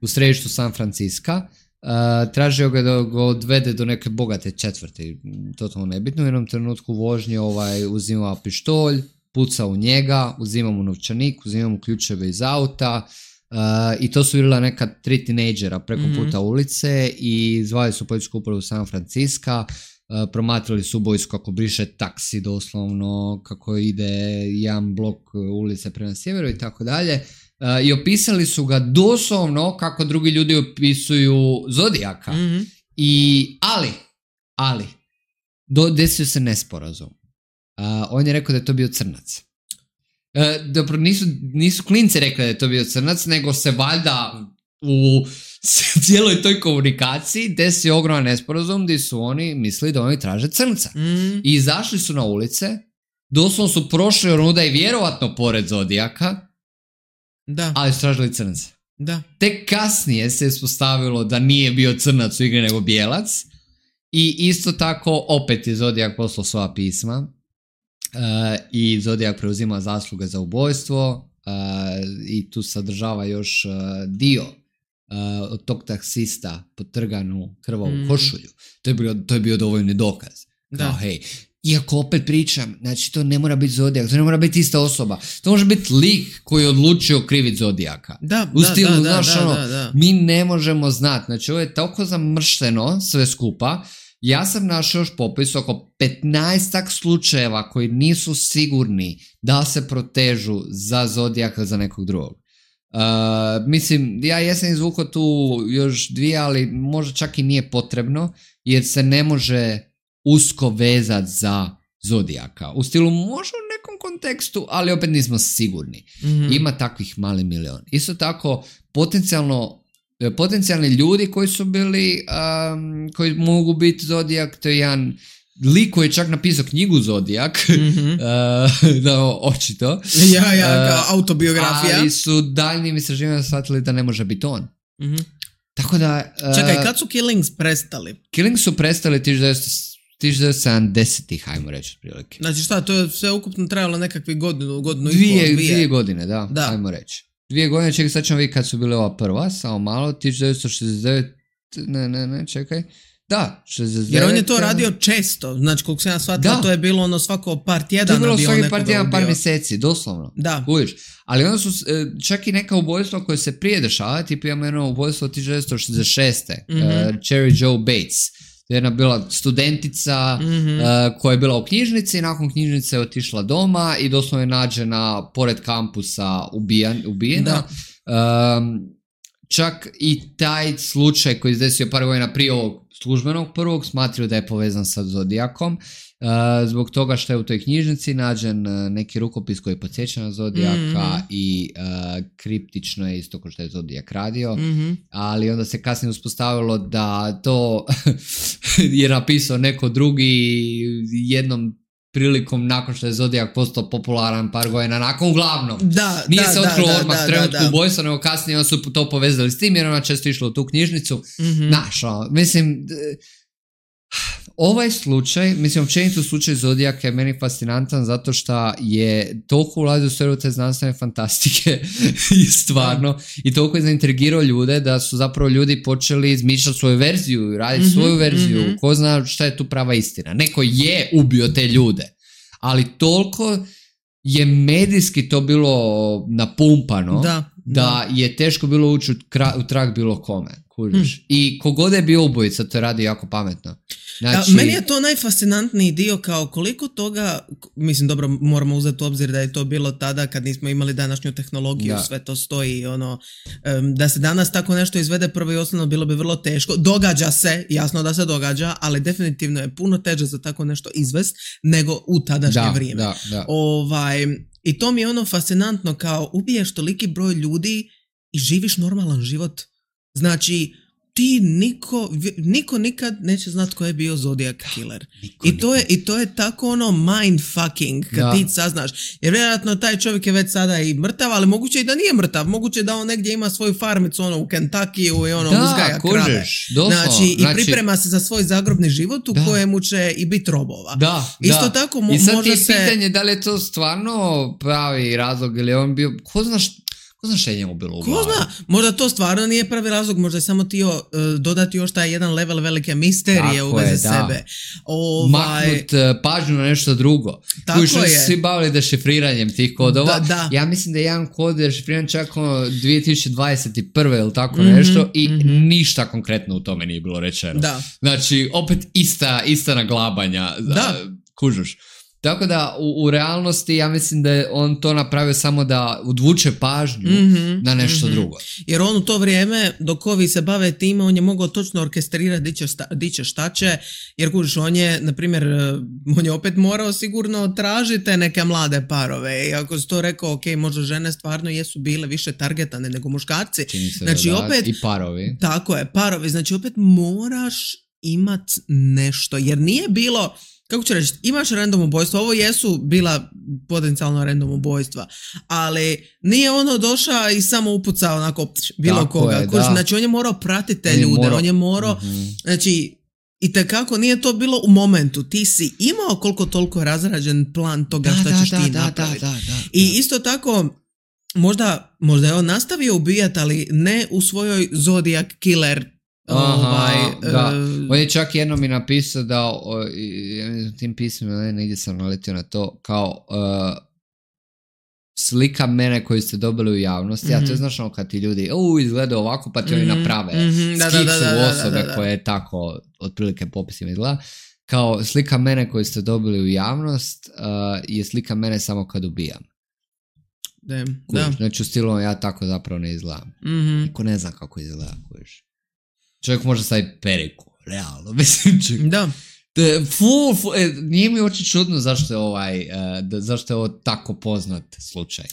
u središtu San Francisca. Uh, tražio ga da ga odvede do neke bogate četvrti, totalno nebitno. U jednom trenutku vožnje ovaj, uzima pištolj, puca u njega, uzima mu novčanik, uzima mu ključeve iz auta uh, i to su bila neka tri tinejdžera preko mm-hmm. puta ulice i zvali su policijsku upravu San Francisca, uh, promatrali su ubojstvo kako briše taksi doslovno, kako ide jedan blok ulice prema sjeveru i tako dalje. Uh, i opisali su ga doslovno kako drugi ljudi opisuju Zodijaka. Mm-hmm. I, ali, ali, do, desio se nesporazum. Uh, on je rekao da je to bio crnac. Uh, dobro, nisu, nisu klinci rekli da je to bio crnac, nego se valjda u cijeloj toj komunikaciji desio ogroman nesporazum gdje su oni mislili da oni traže crnca. Mm-hmm. I izašli su na ulice, doslovno su prošli onuda i vjerovatno pored Zodijaka, da. Ali su tražili crnca. Da. Tek kasnije se ispostavilo da nije bio crnac u igri nego bijelac i isto tako opet je Zodijak poslao svoja pisma uh, i Zodijak preuzima zasluge za ubojstvo uh, i tu sadržava još uh, dio uh, od tog taksista potrganu krvavu mm. košulju. To je bio, to je bio dovoljni dokaz. Kao, hej, iako opet pričam, znači to ne mora biti Zodijak, to ne mora biti ista osoba. To može biti lik koji je odlučio kriviti Zodijaka. Da, u stilu, da, da, znaš, da, ono, da, da. mi ne možemo znati. Znači ovo je toliko zamršteno sve skupa. Ja sam našao još popis oko petnaestak slučajeva koji nisu sigurni da se protežu za Zodijaka za nekog drugog. Uh, mislim, ja jesam izvukao tu još dvije, ali možda čak i nije potrebno, jer se ne može usko vezat za Zodijaka. U stilu može u nekom kontekstu, ali opet nismo sigurni. Mm-hmm. Ima takvih mali milion. Isto tako, potencijalno potencijalni ljudi koji su bili um, koji mogu biti Zodijak, to je jedan lik koji je čak napisao knjigu Zodijak, mm-hmm. uh, da, očito. Ja, ja, kao autobiografija. Ali su daljnjim istraživanjima shvatili da ne može biti on. Mm-hmm. Tako da... Uh, Čekaj, kad su Killings prestali? Killings su prestali tisuću devetsto sedamdesetih, hajmo reći otprilike. Znači šta, to je sve ukupno trajalo nekakvih godinu, godinu dvije, i pol, dvije. Dvije godine, da, da. hajmo reći. Dvije godine, čekaj, sad ćemo vidjeti kad su bile ova prva, samo malo, tisuću devetsto šezdeset devet, ne, ne, ne, čekaj, da, šezdeset devet. Jer on je to radio često, znači koliko sam ja shvatila, to je bilo ono svako par tjedana. To je bilo svaki par tjedana, par mjeseci, doslovno. Da. Uviš. Ali onda su čak i neka ubojstva koje se prije dešava, tipa imamo jedno ubojstvo tisuću devetsto šezdeset šeste. Mm-hmm. Uh, Cherry Joe Bates. Jedna bila studentica mm-hmm. uh, koja je bila u knjižnici i nakon knjižnice je otišla doma i doslovno je nađena pored kampusa ubijan, ubijena. Um, čak i taj slučaj koji je desio par godina prije ovog službenog prvog smatraju da je povezan sa Zodijakom. Uh, zbog toga što je u toj knjižnici nađen uh, neki rukopis koji podsjeća na Zodijaka mm-hmm. i uh, kriptično je isto kao što je Zodijak radio, mm-hmm. ali onda se kasnije uspostavilo da to je napisao neko drugi jednom prilikom nakon što je Zodijak postao popularan par godina nakon, uglavnom. Da, Nije da, se otkrilo odmah da, trenutku da, da. ubojstva, nego kasnije on su to povezali s tim jer ona često išla u tu knjižnicu. Mm-hmm. Znaš, mislim... Ovaj slučaj, mislim, općenito slučaj Zodijaka je meni fascinantan zato što je toliko ulazi u sferu te znanstvene fantastike i stvarno i toliko je zaintrigirao ljude da su zapravo ljudi počeli izmišljati svoju verziju, raditi mm-hmm, svoju verziju, mm-hmm. ko zna šta je tu prava istina. Neko je ubio te ljude, ali toliko je medijski to bilo napumpano, da, da, da je teško bilo ući u, kra, u trag bilo kome. Kužiš. Hmm. I kogod je bio ubojica, to radi jako pametno. Znači... A, meni je to najfascinantniji dio, kao koliko toga, mislim, dobro, moramo uzeti u obzir da je to bilo tada kad nismo imali današnju tehnologiju, da. Sve to stoji, ono, um, da se danas tako nešto izvede prvo i osnovno bilo bi vrlo teško. Događa se, jasno da se događa, ali definitivno je puno teže za tako nešto izvest nego u tadašnje da, vrijeme. Da, da. Ovaj, i to mi je ono fascinantno, kao ubiješ toliki broj ljudi i živiš normalan život. Znači, ti niko, niko nikad neće znat ko je bio Zodiac Killer. Niko, I, to je, I to je tako ono mindfucking kad da. Ti saznaš. Jer vjerojatno taj čovjek je već sada i mrtav, ali moguće i da nije mrtav. Moguće da on negdje ima svoju farmicu ono, u Kentuckiju i ono da, uzgaja krave. Znači, i znači, priprema se za svoj zagrobni život u da. Kojemu će i biti robova. Da, Isto da. tako mo- I sad može je se... pitanje da li je to stvarno pravi razlog ili on bio... Ko znaš... Ko zna što je njemu bilo u glavi? Ko zna, možda to stvarno nije pravi razlog, možda je samo tio uh, dodati još taj jedan level velike misterije tako u vezi sebe. Ovaj... Maknut uh, pažnju na nešto drugo. Tako koji su je. Svi bavili dešifriranjem tih kodova. Da, da. Ja mislim da je jedan kod dešifriran čak ono dvije tisuće dvadeset prve ili tako mm-hmm, nešto i mm-hmm. ništa konkretno u tome nije bilo rečeno. Da. Znači, opet ista, ista naglabanja. Da. Uh, kužuš. Tako da u, u realnosti ja mislim da je on to napravio samo da odvuče pažnju mm-hmm, na nešto mm-hmm. drugo. Jer on u to vrijeme dok ovi se bave time on je mogao točno orkestrirati di će, sta, di će šta će, jer kužiš on je, na primjer, on je opet morao sigurno tražiti neke mlade parove i ako si to rekao, ok, možda žene stvarno jesu bile više targetane nego muškarci. Znači da, opet, i parovi. Tako je, parovi, znači opet moraš imat nešto, jer nije bilo... Kako ću reći, imaš random ubojstvo, ovo jesu bila potencijalno random ubojstva, ali nije ono došao i samo upucao onako bilo tako koga. Je, Koži, znači on je morao pratiti te on ljude, morao. on je morao, mm-hmm. znači i tekako nije to bilo u momentu, ti si imao koliko toliko razrađen plan toga da, šta da, ćeš da, ti da, napraviti. Da, da, da, da. I isto tako, možda, možda je on nastavio ubijati, ali ne u svojoj Zodiac Killer. Aha, ovaj, da. Uh, on je čak jednom mi napisao da o, ja tim pismima ne, negdje sam naletio na to kao uh, slika mene koju ste dobili u javnosti, mm-hmm. a to je znaš ono kad ti ljudi u izgleda ovako pa ti mm-hmm. oni naprave mm-hmm. skicu da, da, da, da, osobe da, da, da. koje je tako otprilike popisima izgleda kao slika mene koju ste dobili u javnost uh, je slika mene samo kad ubijam. Damn, kužiš, da. Znači u stilu ja tako zapravo ne izgledam. Mm-hmm. Niko ne zna kako izgleda, kužiš. Čovjek može staviti periku, realno, mislim čak. Da. De, fu, fu, e, nije mi oči čudno zašto je, ovaj, uh, da, zašto je ovo tako poznat slučaj.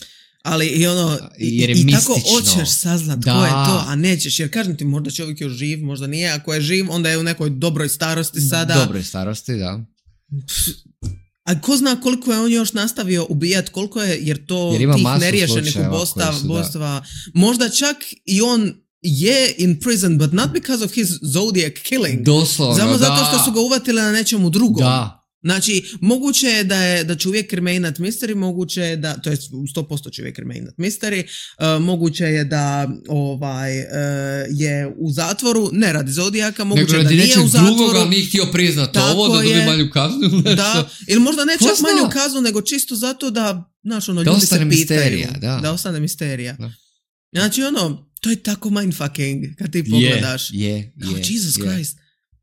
Ali i ono, i, i tako hoćeš saznat da. Ko je to, a nećeš, jer kažem ti, možda čovjek je živ, možda nije, ako je živ, onda je u nekoj dobroj starosti sada. Dobroj starosti, da. A ko zna koliko je on još nastavio ubijat, koliko je, jer to jer tih neriješenih ubojstava, možda čak i on je in prison, but not because of his Zodiac killing. Doslovno, Samo da. zato što su ga uvatili na nečemu drugom. Da. Znači, moguće je da, je, da će uvijek remainat mystery, moguće je da, to je sto posto će uvijek remainat mystery, uh, moguće je da ovaj, uh, je u zatvoru, ne radi Zodijaka, moguće nego da nije u zatvoru. Drugoga, ali nije htio priznat ovo, da dobi manju kaznu. Da, ili možda ne čak manju kaznu, nego čisto zato da, znaš, ono, da ljudi se pitaju. Misterija, da. Da ostane misterija. Da. Znači, ono, to je tako mindfucking kad ti pogledaš. Je, je, oh, je. Jesus je. Christ.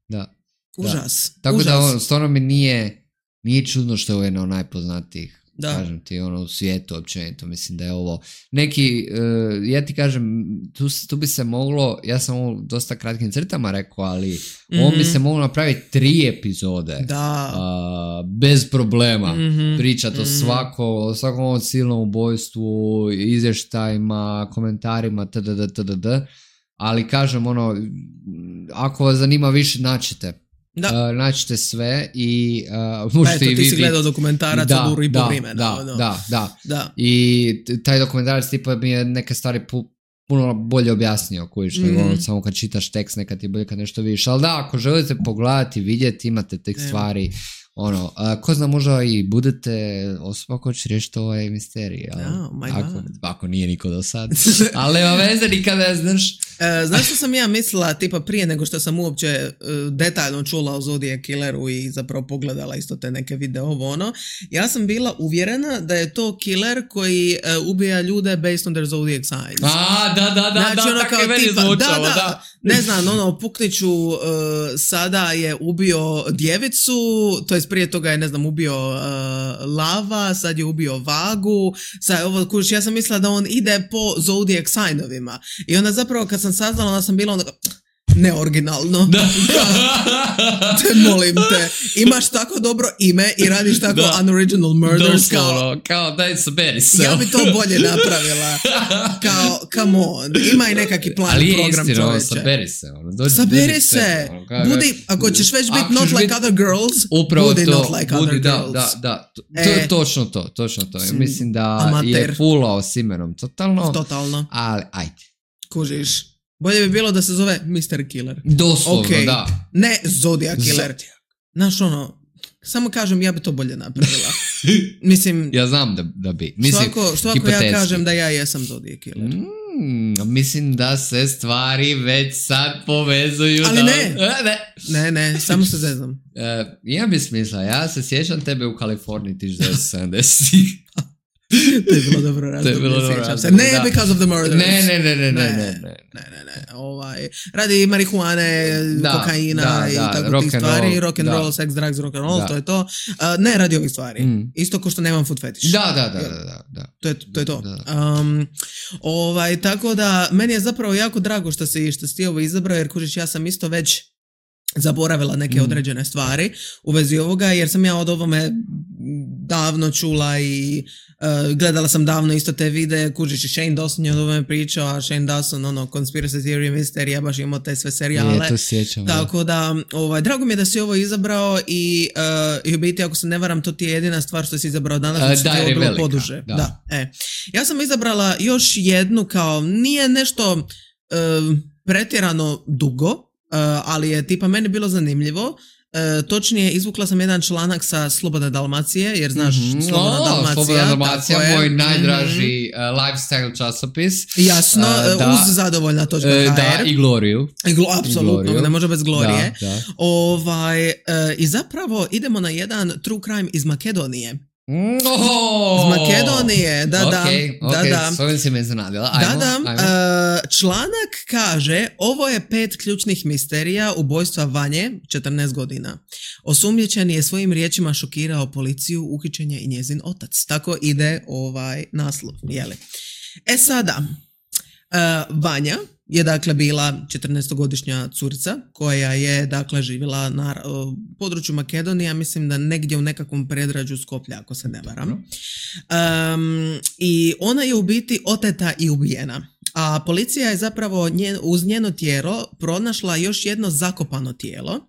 Da. Užas. Da. Tako užas. da ono, stvarno mi nije, nije čudno što je ovo jedno od najpoznatijih. Da. Kažem ti, ono, u svijetu općenito, mislim da je ovo neki, uh, ja ti kažem, tu, tu bi se moglo, ja sam ovo dosta kratkim crtama rekao, ali mm-hmm. ovo bi se moglo napraviti tri epizode. Da. Uh, bez problema. Mm-hmm. Pričati mm-hmm. o svako, o svakom ovom silnom ubojstvu, izvještajima, komentarima, tdd, tdd. Ali kažem, ono, ako vas zanima više, naćete. Da. Uh, naćete sve i uh, možete i vidjeti. Ti si gledao dokumentarac da, od uru i da, po vremena. Da, no. da, da, da. I taj dokumentarac tipa mi je neke stvari pu, puno bolje objasnio, kojiš, mm. nego samo kad čitaš tekst nekad ti bolje kad nešto vidiš. Ali da, ako želite pogledati, vidjeti, imate tek stvari, ono, uh, ko zna, možda i budete osoba koja će riješiti ovaj misterij. Oh, ako, ako nije niko do sad. Ali nema veze, nikada ne znaš. E, znaš što sam ja mislila, tipa prije nego što sam uopće uh, detaljno čula o Zodiac Killeru i zapravo pogledala isto te neke video ovo ono, ja sam bila uvjerena da je to killer koji uh, ubija ljude based on their zodiac signs. A, da, da, da, znači, da, ono tako je meni zvučalo, da, da, da. Ne znam, ono, Pukniću uh, sada je ubio djevicu, to jest prije toga je, ne znam, ubio uh, Lava, sad je ubio Vagu, sad ovo, kuš, ja sam mislila da on ide po zodiac signovima. I onda zapravo kad sam saznala, onda sam bila onda neoriginalno. Da. Te molim te. Imaš tako dobro ime i radiš tako da. Unoriginal murders. Kao, kao daj saberi se. Ja bi to bolje napravila. Kao, come on. Ima i nekakvi plan ali program istino, čoveče. Saberi se. Ono, dođi, saberi dođi se. Ono, kao, budi, ako ćeš već biti not like bit, other girls, upravo budi to, not like budi, other da, girls. Da, da, to, e, to je točno to, točno to. Ja mislim da amater. Je fulao s imenom totalno. Totalno. Ali, ajde. Kužiš. Bolje bi bilo da se zove mister Killer. Doslovno, okay. da. Ne Zodiac Killer. Zodiac. Znaš ono, samo kažem ja bi to bolje napravila. Mislim... Ja znam da, da bi. Mislim, svako, svako ja kažem da ja jesam Zodiac Killer. Mm, mislim da se stvari već sad povezuju. Ali da... ne. ne. Ne, ne, samo se zeznam. Uh, ja bi smisla, ja se sjećam tebe u Kaliforniji tisuću sedamdesetih. To je bilo dobro razdoblje. To je bilo dobro razdoblje. Ne, da. Because of the murders. Ne, ne, ne, ne, ne, ne, ne, ne, ne, ne. Ovaj, radi marihuane, da, kokaina da, i da, tako tih stvari, rock and roll, sex, drugs, rock and roll, da. To je to. Uh, ne radi ovih stvari. Mm. Isto ko što nemam food fetish. Da, da, da, da, da. To je to. Je to. Da. Um, ovaj, tako da, meni je zapravo jako drago što si, što si ti ovo izabrao, jer kužiš, ja sam isto već zaboravila neke mm. određene stvari u vezi ovoga, jer sam ja od ovome davno čula i uh, gledala sam davno isto te videe, kužiš i Shane Dawson je od ovome pričao, a Shane Dawson, ono, Conspiracy Theory, Mystery, baš imao te sve serijale. Je, to sjećam. Tako da, ovaj, drago mi je da si ovo izabrao i, uh, i u biti, ako se ne varam, to ti je jedina stvar što si izabrao danas, uh, što je bilo poduže. Da. Da, e. Ja sam izabrala još jednu kao, nije nešto uh, pretjerano dugo, Uh, ali je tipa meni bilo zanimljivo. Uh, točnije, izvukla sam jedan članak sa Slobodne Dalmacije, jer znaš, mm-hmm. Slobodna oh, Dalmacija. Slobodna Dalmacija, moj najdraži mm-hmm. uh, lifestyle časopis. Jasno, uh, da, uz zadovoljna točka uh, da, i Gloriju. I glo, apsolutno, I Gloriju. Ne može bez Glorije. Da, da. Ovaj, uh, I zapravo idemo na jedan true crime iz Makedonije. Oh, iz Makedonije, da, da, okay, da, okay, da. S ovim si me iznenadila. Ajmo, da, da. Ajmo. Uh, članak kaže, ovo je pet ključnih misterija ubojstva Vanje, četrnaest godina. Osumnjičeni je svojim riječima šokirao policiju, uhićen je i njezin otac. Tako ide ovaj naslov, jeli. E sada, uh, Vanja je dakle bila četrnaestogodišnja curica koja je dakle živjela na uh, području Makedonije, mislim da negdje u nekakvom predgrađu Skoplja, ako se ne varam. Um, I ona je u biti oteta i ubijena. A policija je zapravo njen, uz njeno tijelo pronašla još jedno zakopano tijelo,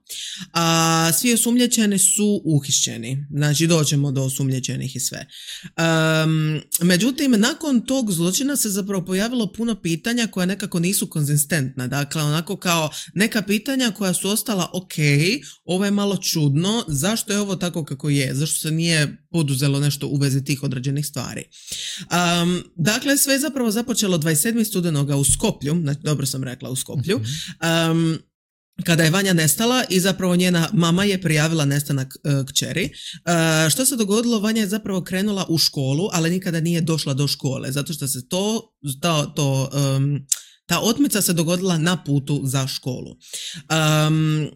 a svi osumnjičeni su uhićeni. Znači doćemo do osumnjičenih i sve. Um, međutim, nakon tog zločina se zapravo pojavilo puno pitanja koja nekako nisu konzistentna. Dakle, onako kao neka pitanja koja su ostala ok, ovo je malo čudno, zašto je ovo tako kako je, zašto se nije poduzelo nešto u vezi tih određenih stvari. Um, dakle, sve je zapravo započelo dvadeset sedmog studenoga u Skoplju, znači dobro sam rekla u Skoplju, um, kada je Vanja nestala i zapravo njena mama je prijavila nestanak uh, kćeri. Uh, što se dogodilo? Vanja je zapravo krenula u školu, ali nikada nije došla do škole, zato što se to, to, to um, ta otmica se dogodila na putu za školu. Um,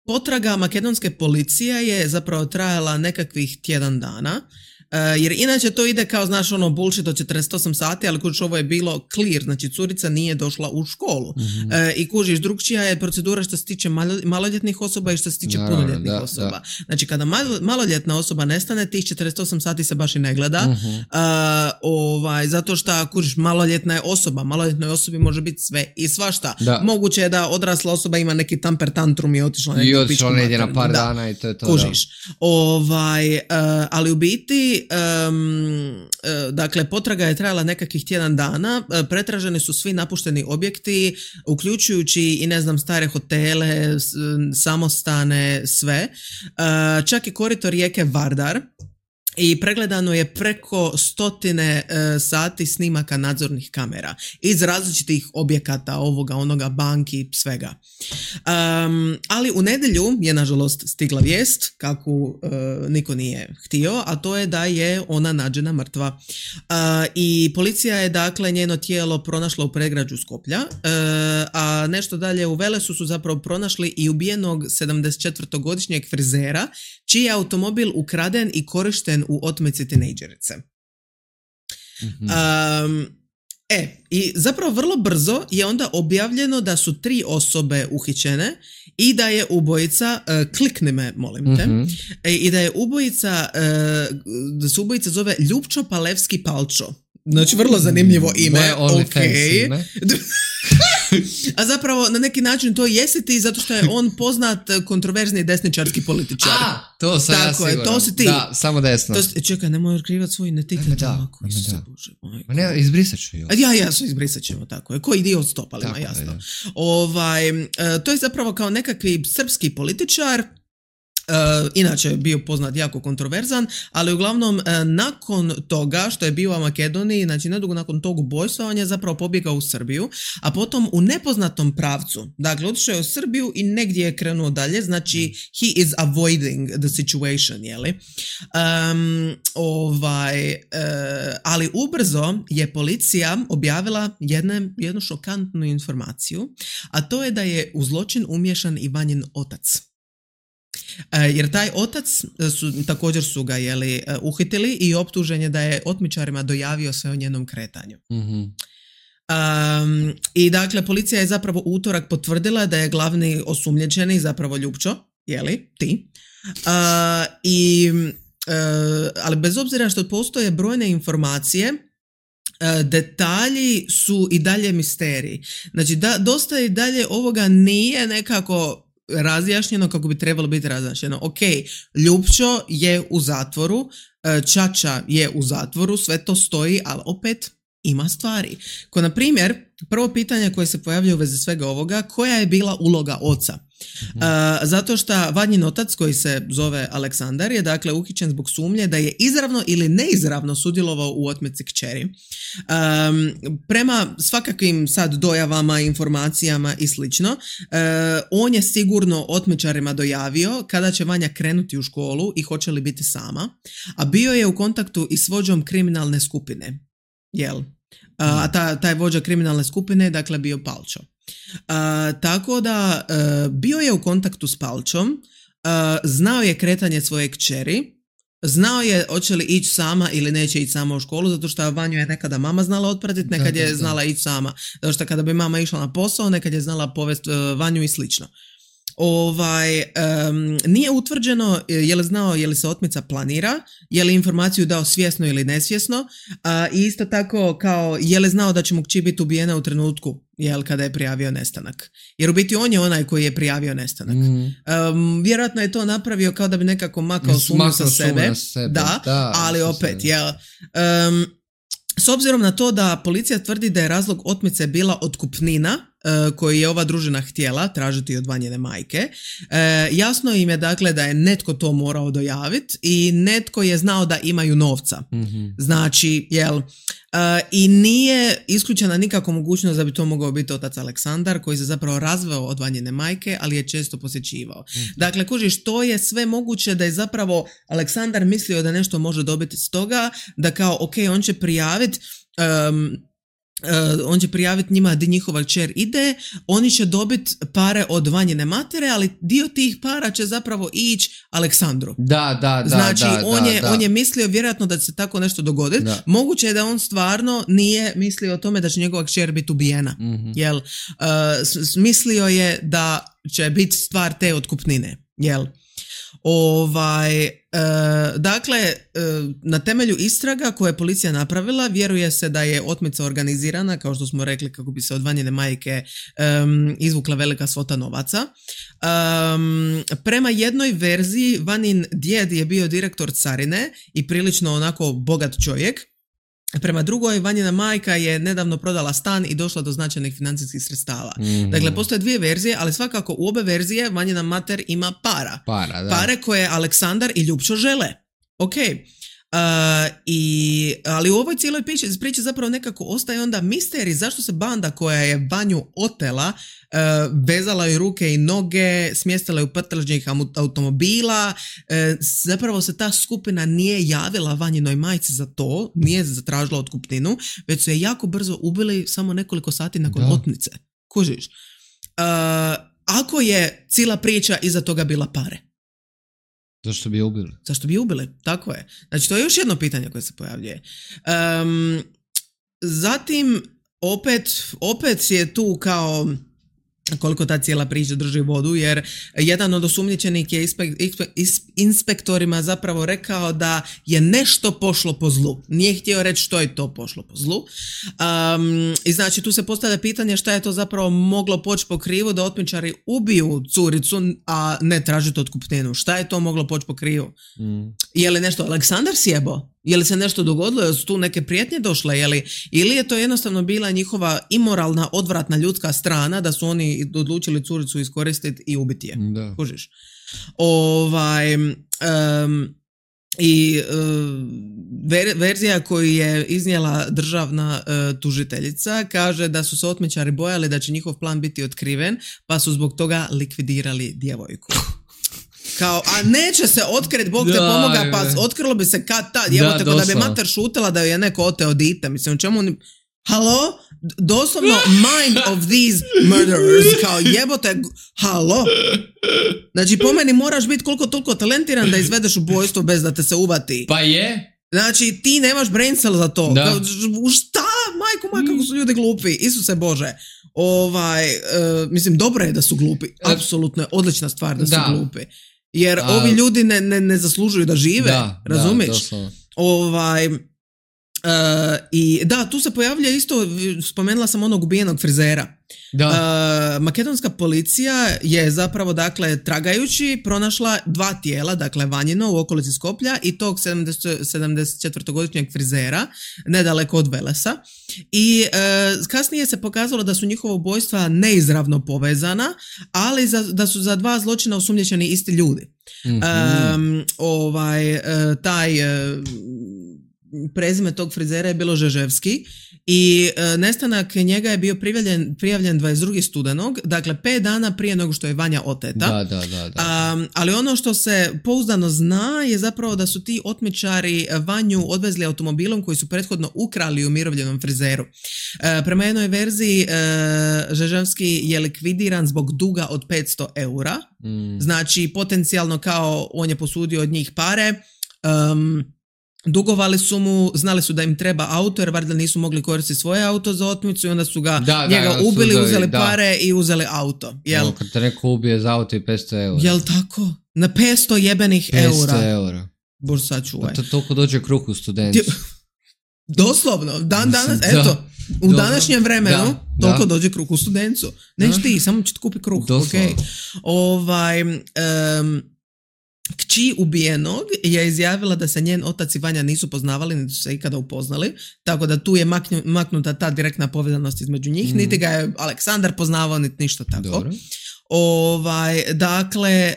Potraga makedonske policije je zapravo trajala nekakvih tjedan dana, uh, jer inače to ide kao, znaš, ono bullshit od četrdeset osam sati, ali kužiš, ovo je bilo clear, znači curica nije došla u školu. Mm-hmm. Uh, I kužiš, drugčija je procedura što se tiče malo, maloljetnih osoba i što se tiče no, punoljetnih da, osoba. Da. Znači, kada malo, maloljetna osoba nestane, tih četrdeset osam sati se baš i ne gleda, mm-hmm. uh, ovaj, zato što, kužiš, maloljetna je osoba, maloljetnoj osobi može biti sve i svašta. Da. Moguće je da odrasla osoba ima neki tamper tantrum i otišla neki I otišla negdje na par da. dana i to je to. Kužiš. Ovaj, uh, ali u biti, um, uh, dakle, potraga je trajala nekakvih tjedan dana, uh, pretraženi su svi napušteni objekti, uključujući i, ne znam, stare hotele, s, samostane, sve. Uh, čak i korito rijeke Vardar. i pregledano je preko stotine uh, sati snimaka nadzornih kamera iz različitih objekata, ovoga, onoga, banki, svega. Um, ali u nedjelju je nažalost stigla vijest, kako uh, niko nije htio, a to je da je ona nađena mrtva. Uh, I policija je dakle njeno tijelo pronašla u predgrađu Skoplja, uh, a nešto dalje u Velesu su zapravo pronašli i ubijenog sedamdesetčetvorogodišnjeg frizera, čiji je automobil ukraden i korišten u otmici tinejdžerice. Mm-hmm. Um, e, i zapravo vrlo brzo je onda objavljeno da su tri osobe uhićene i da je ubojica, uh, klikni me, molim te, mm-hmm. e, i da je ubojica, uh, da se ubojica zove Ljupčo Palevski Palčo. Znači, vrlo zanimljivo ime. Okay. A zapravo na neki način to jesi ti zato što je on poznat kontroverzni desničarski političar. A, to sam tako ja je, siguran. To si ti. Da, samo desno. To si, čekaj, nemoj otkrivati svoj identitet. Tako, da. Ma ne, izbrisat ću ju. Ja, ja, su izbrisat ćemo, tako je. Ko dio od stopalima, tako jasno. Je, ovaj, to je zapravo kao nekakvi srpski političar. Uh, inače je bio poznat jako kontroverzan, ali uglavnom uh, nakon toga što je bio u Makedoniji, znači nedugo nakon tog ubojstva, on je zapravo pobjegao u Srbiju, a potom u nepoznatom pravcu, dakle otišao je u Srbiju i negdje je krenuo dalje, znači he is avoiding the situation, jeli? Um, ovaj, uh, ali ubrzo je policija objavila jedne, jednu šokantnu informaciju, a to je da je u zločin umiješan i Vanjin otac. Jer taj otac su, također su ga jeli, uhitili i optužen je da je otmičarima dojavio sve o njenom kretanju. Mm-hmm. Um, I dakle, policija je zapravo u utorak potvrdila da je glavni osumnjičeni zapravo Ljupčo, jeli, ti. Uh, i, uh, ali bez obzira što postoje brojne informacije, uh, detalji su i dalje misteriji. Znači, da, dosta i dalje ovoga nije nekako razjašnjeno kako bi trebalo biti razjašnjeno. Ok, Ljupčo je u zatvoru, Čača je u zatvoru, sve to stoji, ali opet ima stvari. Ko na primjer, prvo pitanje koje se pojavljuje u vezi svega ovoga, koja je bila uloga oca? Mm-hmm. Uh, zato što Vanjin otac, koji se zove Aleksandar, je dakle uhićen zbog sumnje da je izravno ili neizravno sudjelovao u otmici kćeri. Um, prema svakakvim sad dojavama, informacijama i slično, uh, on je sigurno otmičarima dojavio kada će Vanja krenuti u školu i hoće li biti sama, a bio je u kontaktu i s vođom kriminalne skupine. Jel? A ta, taj vođa kriminalne skupine dakle bio Palčo. A, tako da a, bio je u kontaktu s Palčom, a, znao je kretanje svoje kćeri, znao je hoće li ići sama ili neće ići sama u školu, zato što Vanju je nekada mama znala otpratiti, nekad je znala ići sama. Zato što kada bi mama išla na posao, nekad je znala povesti uh, Vanju i slično. Ovaj, um, nije utvrđeno je li znao je li se otmica planira, je li informaciju dao svjesno ili nesvjesno, a i isto tako kao je li znao da će mu kći biti ubijena u trenutku jel, kada je prijavio nestanak. Jer u biti on je onaj koji je prijavio nestanak. Mm. Um, vjerojatno je to napravio kao da bi nekako makao sumnju sa sebe, sebe. Da, da, ali opet jel, um, s obzirom na to da policija tvrdi da je razlog otmice bila otkupnina uh, koju je ova družina htjela tražiti od Vanjine majke, uh, jasno im je dakle da je netko to morao dojaviti i netko je znao da imaju novca. Mm-hmm. Znači, jel, uh, i nije isključena nikako mogućnost da bi to mogao biti otac Aleksandar koji se zapravo razveo od Vanjine majke, ali je često posjećivao. Mm-hmm. Dakle, kužiš, to je sve moguće da je zapravo Aleksandar mislio da nešto može dobiti s toga, da kao, ok, on će prijaviti um, Uh, on će prijaviti njima di njihova kćer ide, oni će dobiti pare od Vanjine matere, ali dio tih para će zapravo ići Aleksandru. Da, da, da. Znači, da, on, da, je, da. on je mislio vjerojatno da će se tako nešto dogoditi. Da. Moguće je da on stvarno nije mislio o tome da će njegova kćer biti ubijena. Mm-hmm. Jel? Uh, mislio je da će biti stvar te otkupnine. Jel? Ovaj, e, dakle, e, na temelju istraga koje je policija napravila, vjeruje se da je otmica organizirana, kao što smo rekli, kako bi se od Vanjine majke e, izvukla velika svota novaca. E, prema jednoj verziji, Vanin djed je bio direktor carine i prilično onako bogat čovjek. Prema drugoj, Vanjina majka je nedavno prodala stan i došla do značajnih financijskih sredstava. Mm-hmm. Dakle, postoje dvije verzije, ali svakako u obe verzije Vanjina mater ima para. Para, da. Pare koje Aleksandar i Ljupčo žele. Ok. Uh, i, ali u ovoj cijeloj priči, priči zapravo nekako ostaje onda misterij zašto se banda koja je Vanju otela, uh, vezala joj ruke i noge, smjestila ju u prtlžnjih automobila, uh, zapravo se ta skupina nije javila Vanjinoj majci za to, nije zatražila otkupninu, već su je jako brzo ubili samo nekoliko sati nakon da. otmice. Kužiš? Uh, ako je cijela priča iza toga bila pare. Zašto bi je ubili? Zašto bi je ubili, tako je. Znači, to je još jedno pitanje koje se pojavljuje. Um, zatim, opet, opet je tu kao koliko ta cijela priča drži vodu, jer jedan od osumnjičenih je ispe, ispe, ispe, inspektorima zapravo rekao da je nešto pošlo po zlu. Nije htio reći što je to pošlo po zlu. Um, I znači tu se postavlja pitanje šta je to zapravo moglo poći po krivu da otmičari ubiju curicu, a ne tražiti otkupninu. Šta je to moglo poći po krivu? Mm. Je li nešto Aleksandar sjebo? Je li se nešto dogodilo? Je li su tu neke prijetnje došle? Je li, ili je to jednostavno bila njihova imoralna, odvratna ljudska strana da su oni odlučili curicu iskoristiti i ubiti je? Da. Kužiš? Ovaj, um, i um, ver, verzija koju je iznijela državna uh, tužiteljica kaže da su se otmičari bojali da će njihov plan biti otkriven, pa su zbog toga likvidirali djevojku. Kao, a neće se otkriti, Bog te pomoga, pa otkrilo bi se kad tad, evo tako da bi mater šutila da je neko oteo dite, mislim, u čemu oni, halo, doslovno mind of these murderers, kao jebote, halo, znači po meni moraš biti koliko toliko talentiran da izvedeš ubojstvo bez da te se uvati. Pa je. Znači ti nemaš brain cell za to, kao, šta, majko moja, kako su ljudi glupi, Isuse Bože. Ovaj, uh, mislim, dobro je da su glupi, apsolutno je odlična stvar da su da. glupi. Jer A, ovi ljudi ne, ne, ne zaslužuju da žive, da, razumiješ? Da, ovaj, uh, i da, tu se pojavlja isto, spomenula sam onog ubijenog frizera. Da. Uh, makedonska policija je zapravo, dakle, tragajući pronašla dva tijela, dakle Vanjino u okolici Skoplja i tog sedamdesetčetvrogodišnjeg frizera nedaleko od Velesa. I uh, kasnije se pokazalo da su njihova ubojstva neizravno povezana, ali za, da su za dva zločina osumnjičeni isti ljudi. Mm-hmm. Um, ovaj, uh, taj uh, prezime tog frizera je bilo Žeževski i e, nestanak njega je bio prijavljen, prijavljen dvadeset drugog studenog, dakle pet dana prije nego što je Vanja oteta. Da, da, da, da. Um, ali ono što se pouzdano zna je zapravo da su ti otmičari Vanju odvezli automobilom koji su prethodno ukrali umirovljenom frizeru. E, prema jednoj verziji e, Žeževski je likvidiran zbog duga od petsto eura. Mm. Znači potencijalno kao on je posudio od njih pare, um, dugovali su mu, znali su da im treba auto jer valjda nisu mogli koristiti svoje auto za otmicu i onda su ga da, njega da, ubili, sudovi, uzeli da. pare i uzeli auto. Jel? No, kad te neko ubije za auto i petsto eura. Jel tako? Na petsto jebenih eura. petsto eura. Bož sačuvaj. To toliko dođe kruh u studencu. Doslovno, dan danas, eto, da. u današnjem vremenu da. toliko da. dođe kruh u studencu. Neš ti, samo će ti kupi kruh. Okay. Ovaj... Um, Kći ubijenog je izjavila da se njen otac i Vanja nisu poznavali, niti su se ikada upoznali, tako da tu je maknju, maknuta ta direktna povezanost između njih, mm. niti ga je Aleksandar poznavao, niti ništa tako. Dobro. Ovaj, dakle,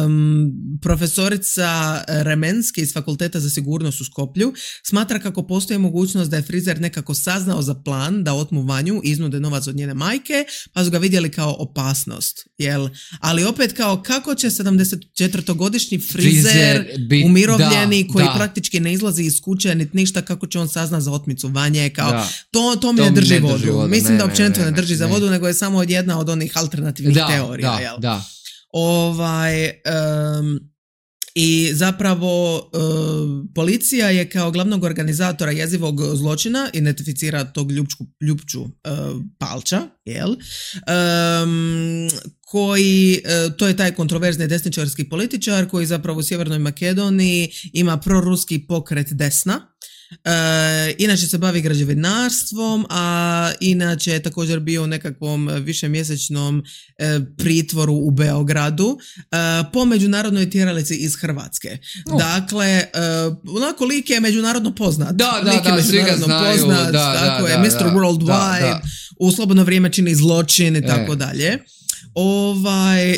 um, profesorica Remenski iz Fakulteta za sigurnost u Skoplju smatra kako postoji mogućnost da je frizer nekako saznao za plan da otmu Vanju i iznude novac od njene majke, pa su ga vidjeli kao opasnost. Jel? Ali opet kao kako će sedamdesetčetvrogodišnji frizer, frizer bit, umirovljeni da, koji da. praktički ne izlazi iz kuće niti ništa, kako će on saznat za otmicu Vanje, kao da. to, to mi to ne drži vodu. Drži vodu. Mislim ne, da općenito ne, ne, ne, ne drži ne. za vodu, nego je samo jedna od onih alternativnih da. teorija. Da, jel? da. Ovaj, um, i zapravo um, policija je kao glavnog organizatora jezivog zločina identificira tog Ljupčku, Ljupču uh, Palča, jel? Um, koji, uh, to je taj kontroverzni desničarski političar koji zapravo u Sjevernoj Makedoniji ima proruski pokret desna. E, inače se bavi građevinarstvom, a inače je također bio u nekakvom višemjesečnom e, pritvoru u Beogradu e, po međunarodnoj tjeralici iz Hrvatske. Oh. Dakle, e, onako lik je međunarodno poznat. Da, da, da, svi ga znaju. Poznat, da, tako da, je, da, mister da, Worldwide, da, da. U slobodno vrijeme čini zločin i tako e. dalje. Ovaj,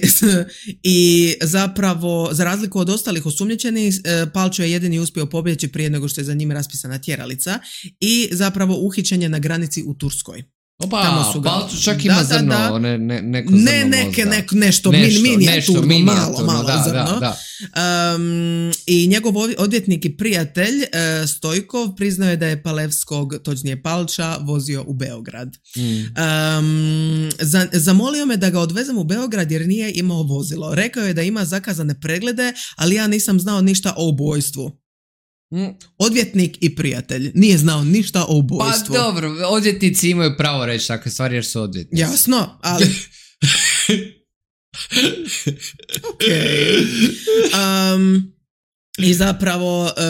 i zapravo, za razliku od ostalih osumnjičenih, Palčo je jedini uspio pobjeći prije nego što je za njim raspisana tjeralica i zapravo uhićen je na granici u Turskoj. Opa, Palčo čak ima da, zrno, da, da. Ne, ne, neko zrno ne, neke, ne, nešto, nešto minijaturno, mini malo, malo da, zrno. Da, da. Um, I njegov odvjetnik i prijatelj uh, Stojkov priznao je da je Palevskog, točnije Palča, vozio u Beograd. Mm. Um, za, zamolio me da ga odvezem u Beograd jer nije imao vozilo. Rekao je da ima zakazane preglede, ali ja nisam znao ništa o ubojstvu. Odvjetnik i prijatelj nije znao ništa o ubojstvu. Pa dobro, odvjetnici imaju pravo reći takve stvari jer su odvjetnici. Jasno, ali... ok. Um, I zapravo e,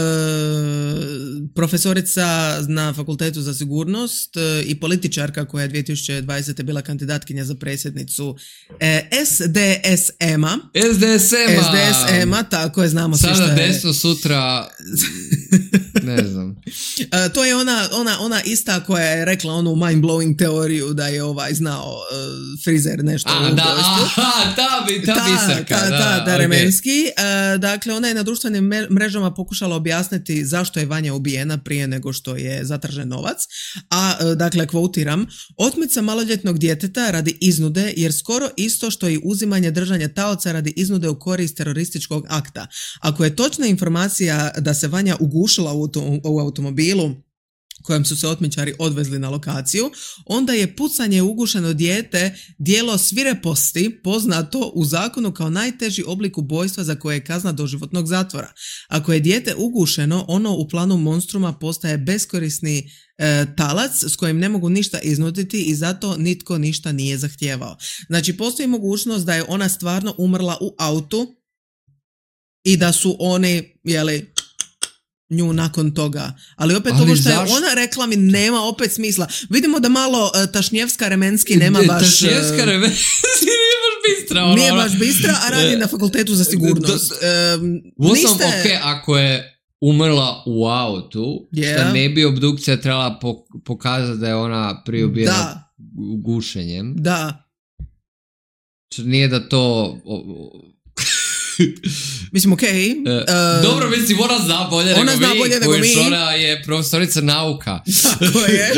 profesorica na Fakultetu za sigurnost e, i političarka koja je dvije tisuće dvadesete bila kandidatkinja za predsjednicu e, S D S M-a. S D S M-a. S D S M-a, tako je, znamo svi šta je. Sada desno, sutra... Ne znam. E, to je ona, ona, ona ista koja je rekla onu mind-blowing teoriju da je ovaj znao uh, frizer nešto A, u ubojstvu. Aha, ta, bi, ta, ta biserka. Ta, da, ta, da, okay. Remenski. Uh, dakle, ona je na društvenim mrežama pokušala objasniti zašto je Vanja ubijena prije nego što je zatražen novac. A, uh, dakle, kvotiram, otmica maloljetnog djeteta radi iznude jer skoro isto što i uzimanje držanja taoca radi iznude u korist terorističkog akta. Ako je točna informacija da se Vanja ugušila u u automobilu kojem su se otmičari odvezli na lokaciju, onda je pucanje u ugušeno dijete djelo svireposti poznato u zakonu kao najteži oblik ubojstva za koje je kazna doživotnog zatvora. Ako je dijete ugušeno, ono u planu monstruma postaje beskorisni e, talac s kojim ne mogu ništa iznuditi i zato nitko ništa nije zahtijevao. Znači, postoji mogućnost da je ona stvarno umrla u autu i da su oni, jeli, nju nakon toga. Ali opet ali ovo što zaš... je ona rekla mi nema opet smisla. Vidimo da malo uh, Tašnjevska Remenski nema baš... Tašnjevska Remenski nije baš bistra. Ono, nije baš bistra, a radi na Fakultetu za sigurnost. Um, niste... Ok, ako je umrla u autu, yeah. Što ne bi obdukcija trebala pokazati da je ona prije ubijena gušenjem. Da. Što nije da to... Mislim, okej. Okay. Uh, Dobro, mislim, ona zna bolje ona nego zna mi, bolje nego mi. Ona je profesorica nauka. Tako je.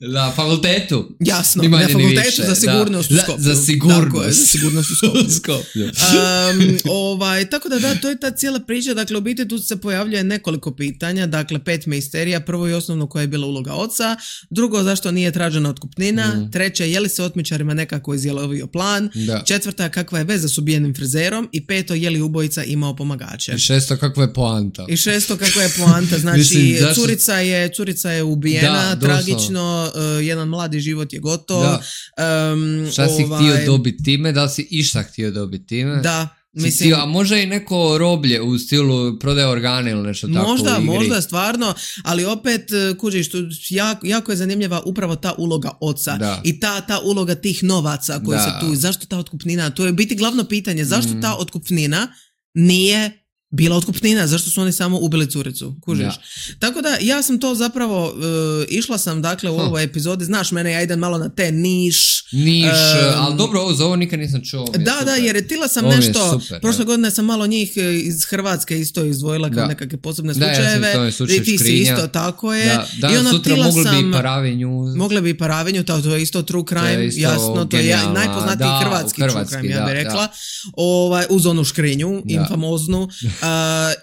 Na fakultetu. Jasno, na Fakultetu za sigurnost da. u Skoplju. Za sigurnost. Tako je, za sigurnost u Skoplju. Skoplju. um, ovaj, tako da da, to je ta cijela priča. Dakle, u biti tu se pojavljuje nekoliko pitanja. Dakle, pet misterija. Prvo i osnovno koja je bila uloga oca. Drugo, zašto nije tražena otkupnina. Mm. Treće, je li se otmičarima nekako izjelovio plan. Da. Četvrta, kakva je veza s ubijenim frizerom. I peto, je li ubojica imao pomagače. I šesto, kakva je poanta. I šesto, kakva je poanta. Znači, Mislim, zašto... curica, je, curica je ubijena, da, tragično, uh, jedan mladi život je gotov. Um, Šta si ovaj... htio dobiti time? Da li si išta htio dobiti time? Da. Mislim, htio, a možda i neko roblje u stilu prodaje organe ili nešto tako možda, u igri. Možda, stvarno, ali opet, kužiš, jako, jako je zanimljiva upravo ta uloga oca da. I ta, ta uloga tih novaca koji da. Se tu, zašto ta otkupnina, to je biti glavno pitanje, zašto mm. ta otkupnina nije bila otkupnina, zašto su oni samo ubili curicu, kužiš. Ja. Tako da ja sam to zapravo, uh, išla sam dakle u huh. ovoj epizodi, znaš mene, ja idem malo na te niš. Niš, um, ali dobro, ovo za ovo nikad nisam čuo. Da, super. Da, jer tila sam ovo nešto, super, prošle ja. Godine sam malo njih iz Hrvatske isto izdvojila kao nekakve posebne slučajeve. Da, ja sam i ti si isto, tako je. Da, da, i ona sutra mogli sam, bi Paravinju. Mogli bi Paravinju, to, to je isto true crime, to isto jasno, to je najpoznatiji da, hrvatski, hrvatski true crime, da, ja bih rekla. Da. Ovaj, uz onu škrinju, da. Infamoznu. Uh,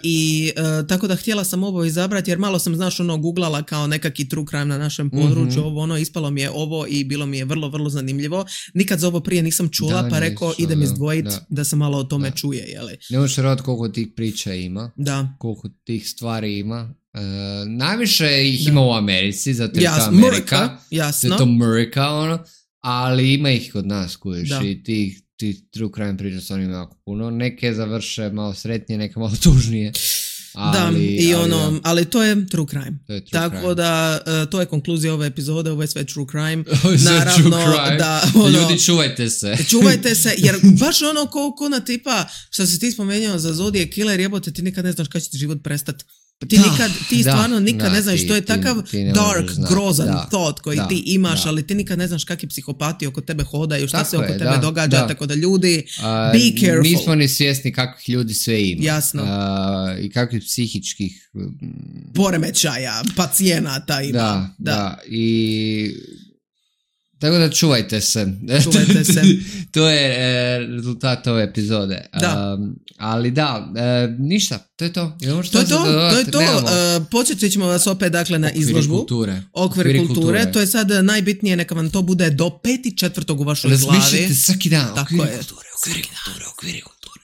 i uh, tako da htjela sam ovo izabrati jer malo sam, znaš, ono googlala kao nekaki true crime na našem području, mm-hmm. ovo ono, ispalo mi je ovo i bilo mi je vrlo, vrlo zanimljivo. Nikad za ovo prije nisam čula, da, pa rekao idem izdvojiti da. Da se malo o tome da. Čuje, jeli. Ne možeš raditi koliko tih priča ima, da. Koliko tih stvari ima. Uh, najviše ih da. Ima u Americi, zato je Jas, to Amerika, Amerika, jasno. zato je to Amerika, ono, ali ima ih kod nas, kuješ, i tih ti true crime priča s onim jako puno. Neke završe malo sretnije, neke malo tužnije. Ali, da, i ali, ono, da. ali to je true crime. To je true Tako crime. Da, uh, to je konkluzija ove epizode, ovo je sve true crime. Ovo je sve Naravno, true crime. Da, ono, ljudi, čuvajte se. Čuvajte se, jer baš ono ko, ko na tipa, što si ti spomenuo za Zodiac Killer, jebote, ti nikad ne znaš kada će ti život prestati. Ti, da, nikad, ti da, stvarno nikad da, ne znaš, ti, to je ti, takav ti dark, grozan da, thought koji da, ti imaš, da. ali ti nikad ne znaš kakvi psihopati oko tebe hodaju, šta tako se oko je, tebe da, događa, da. tako da ljudi, A, be careful. nismo ni svjesni kakvih ljudi sve ima. Jasno. A, I kakvih psihičkih... Poremećaja, pacijenata ima. Da, da, da. I... Tako da čuvajte se. Čuvajte se. To je e, rezultat ove epizode. Da. Um, ali da, e, ništa, to je to. Imamo što To je to, dodati? to je to. Nemamo. Uh, počet ćemo vas opet dakle na Okviri izložbu. kulture. Okvir Okviri kulture. kulture. To je sad najbitnije, neka vam to bude do peti četvrtog u vašoj glavi. Razmišljajte svaki dan. Tako Okviri je. kulture, okviri kulture, okviri kulture.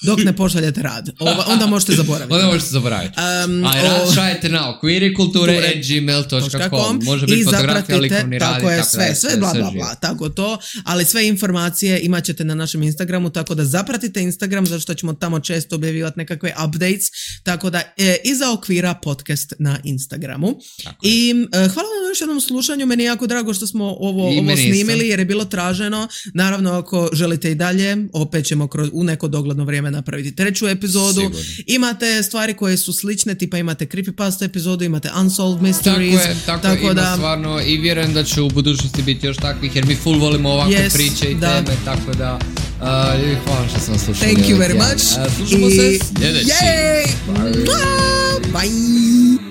Dok ne pošaljete rad. Ova, onda možete zaboraviti. Onda možete zaboraviti. Um, A rad šaljete na okvirikulture at gmail dot com. Može biti i fotografija, likovni rad. tako je, tako sve, da, sve bla bla bla, tako to, ali sve informacije imat ćete na našem Instagramu, tako da zapratite Instagram, zato što ćemo tamo često objavljivati nekakve updates, tako da e, iza okvira podcast na Instagramu. Tako I e, hvala vam na još jednom slušanju, meni je jako drago što smo ovo, ovo snimili, isto. Jer je bilo traženo. Naravno, ako želite i dalje, opet ćemo kroz, u neko dogledno vrijeme napraviti treću epizodu. Sigurno. Imate stvari koje su slične, tipa imate creepypasta epizodu, imate unsolved mysteries. Tako je, tako, tako ima da, stvarno i vjerujem da će u budućnosti biti još takvih, jer mi full volimo ovakve yes, priče i da. teme, tako da uh, hvala što sam slušali. Thank you very much. Uh, slušamo I... se sljedeći. Bye. Bye.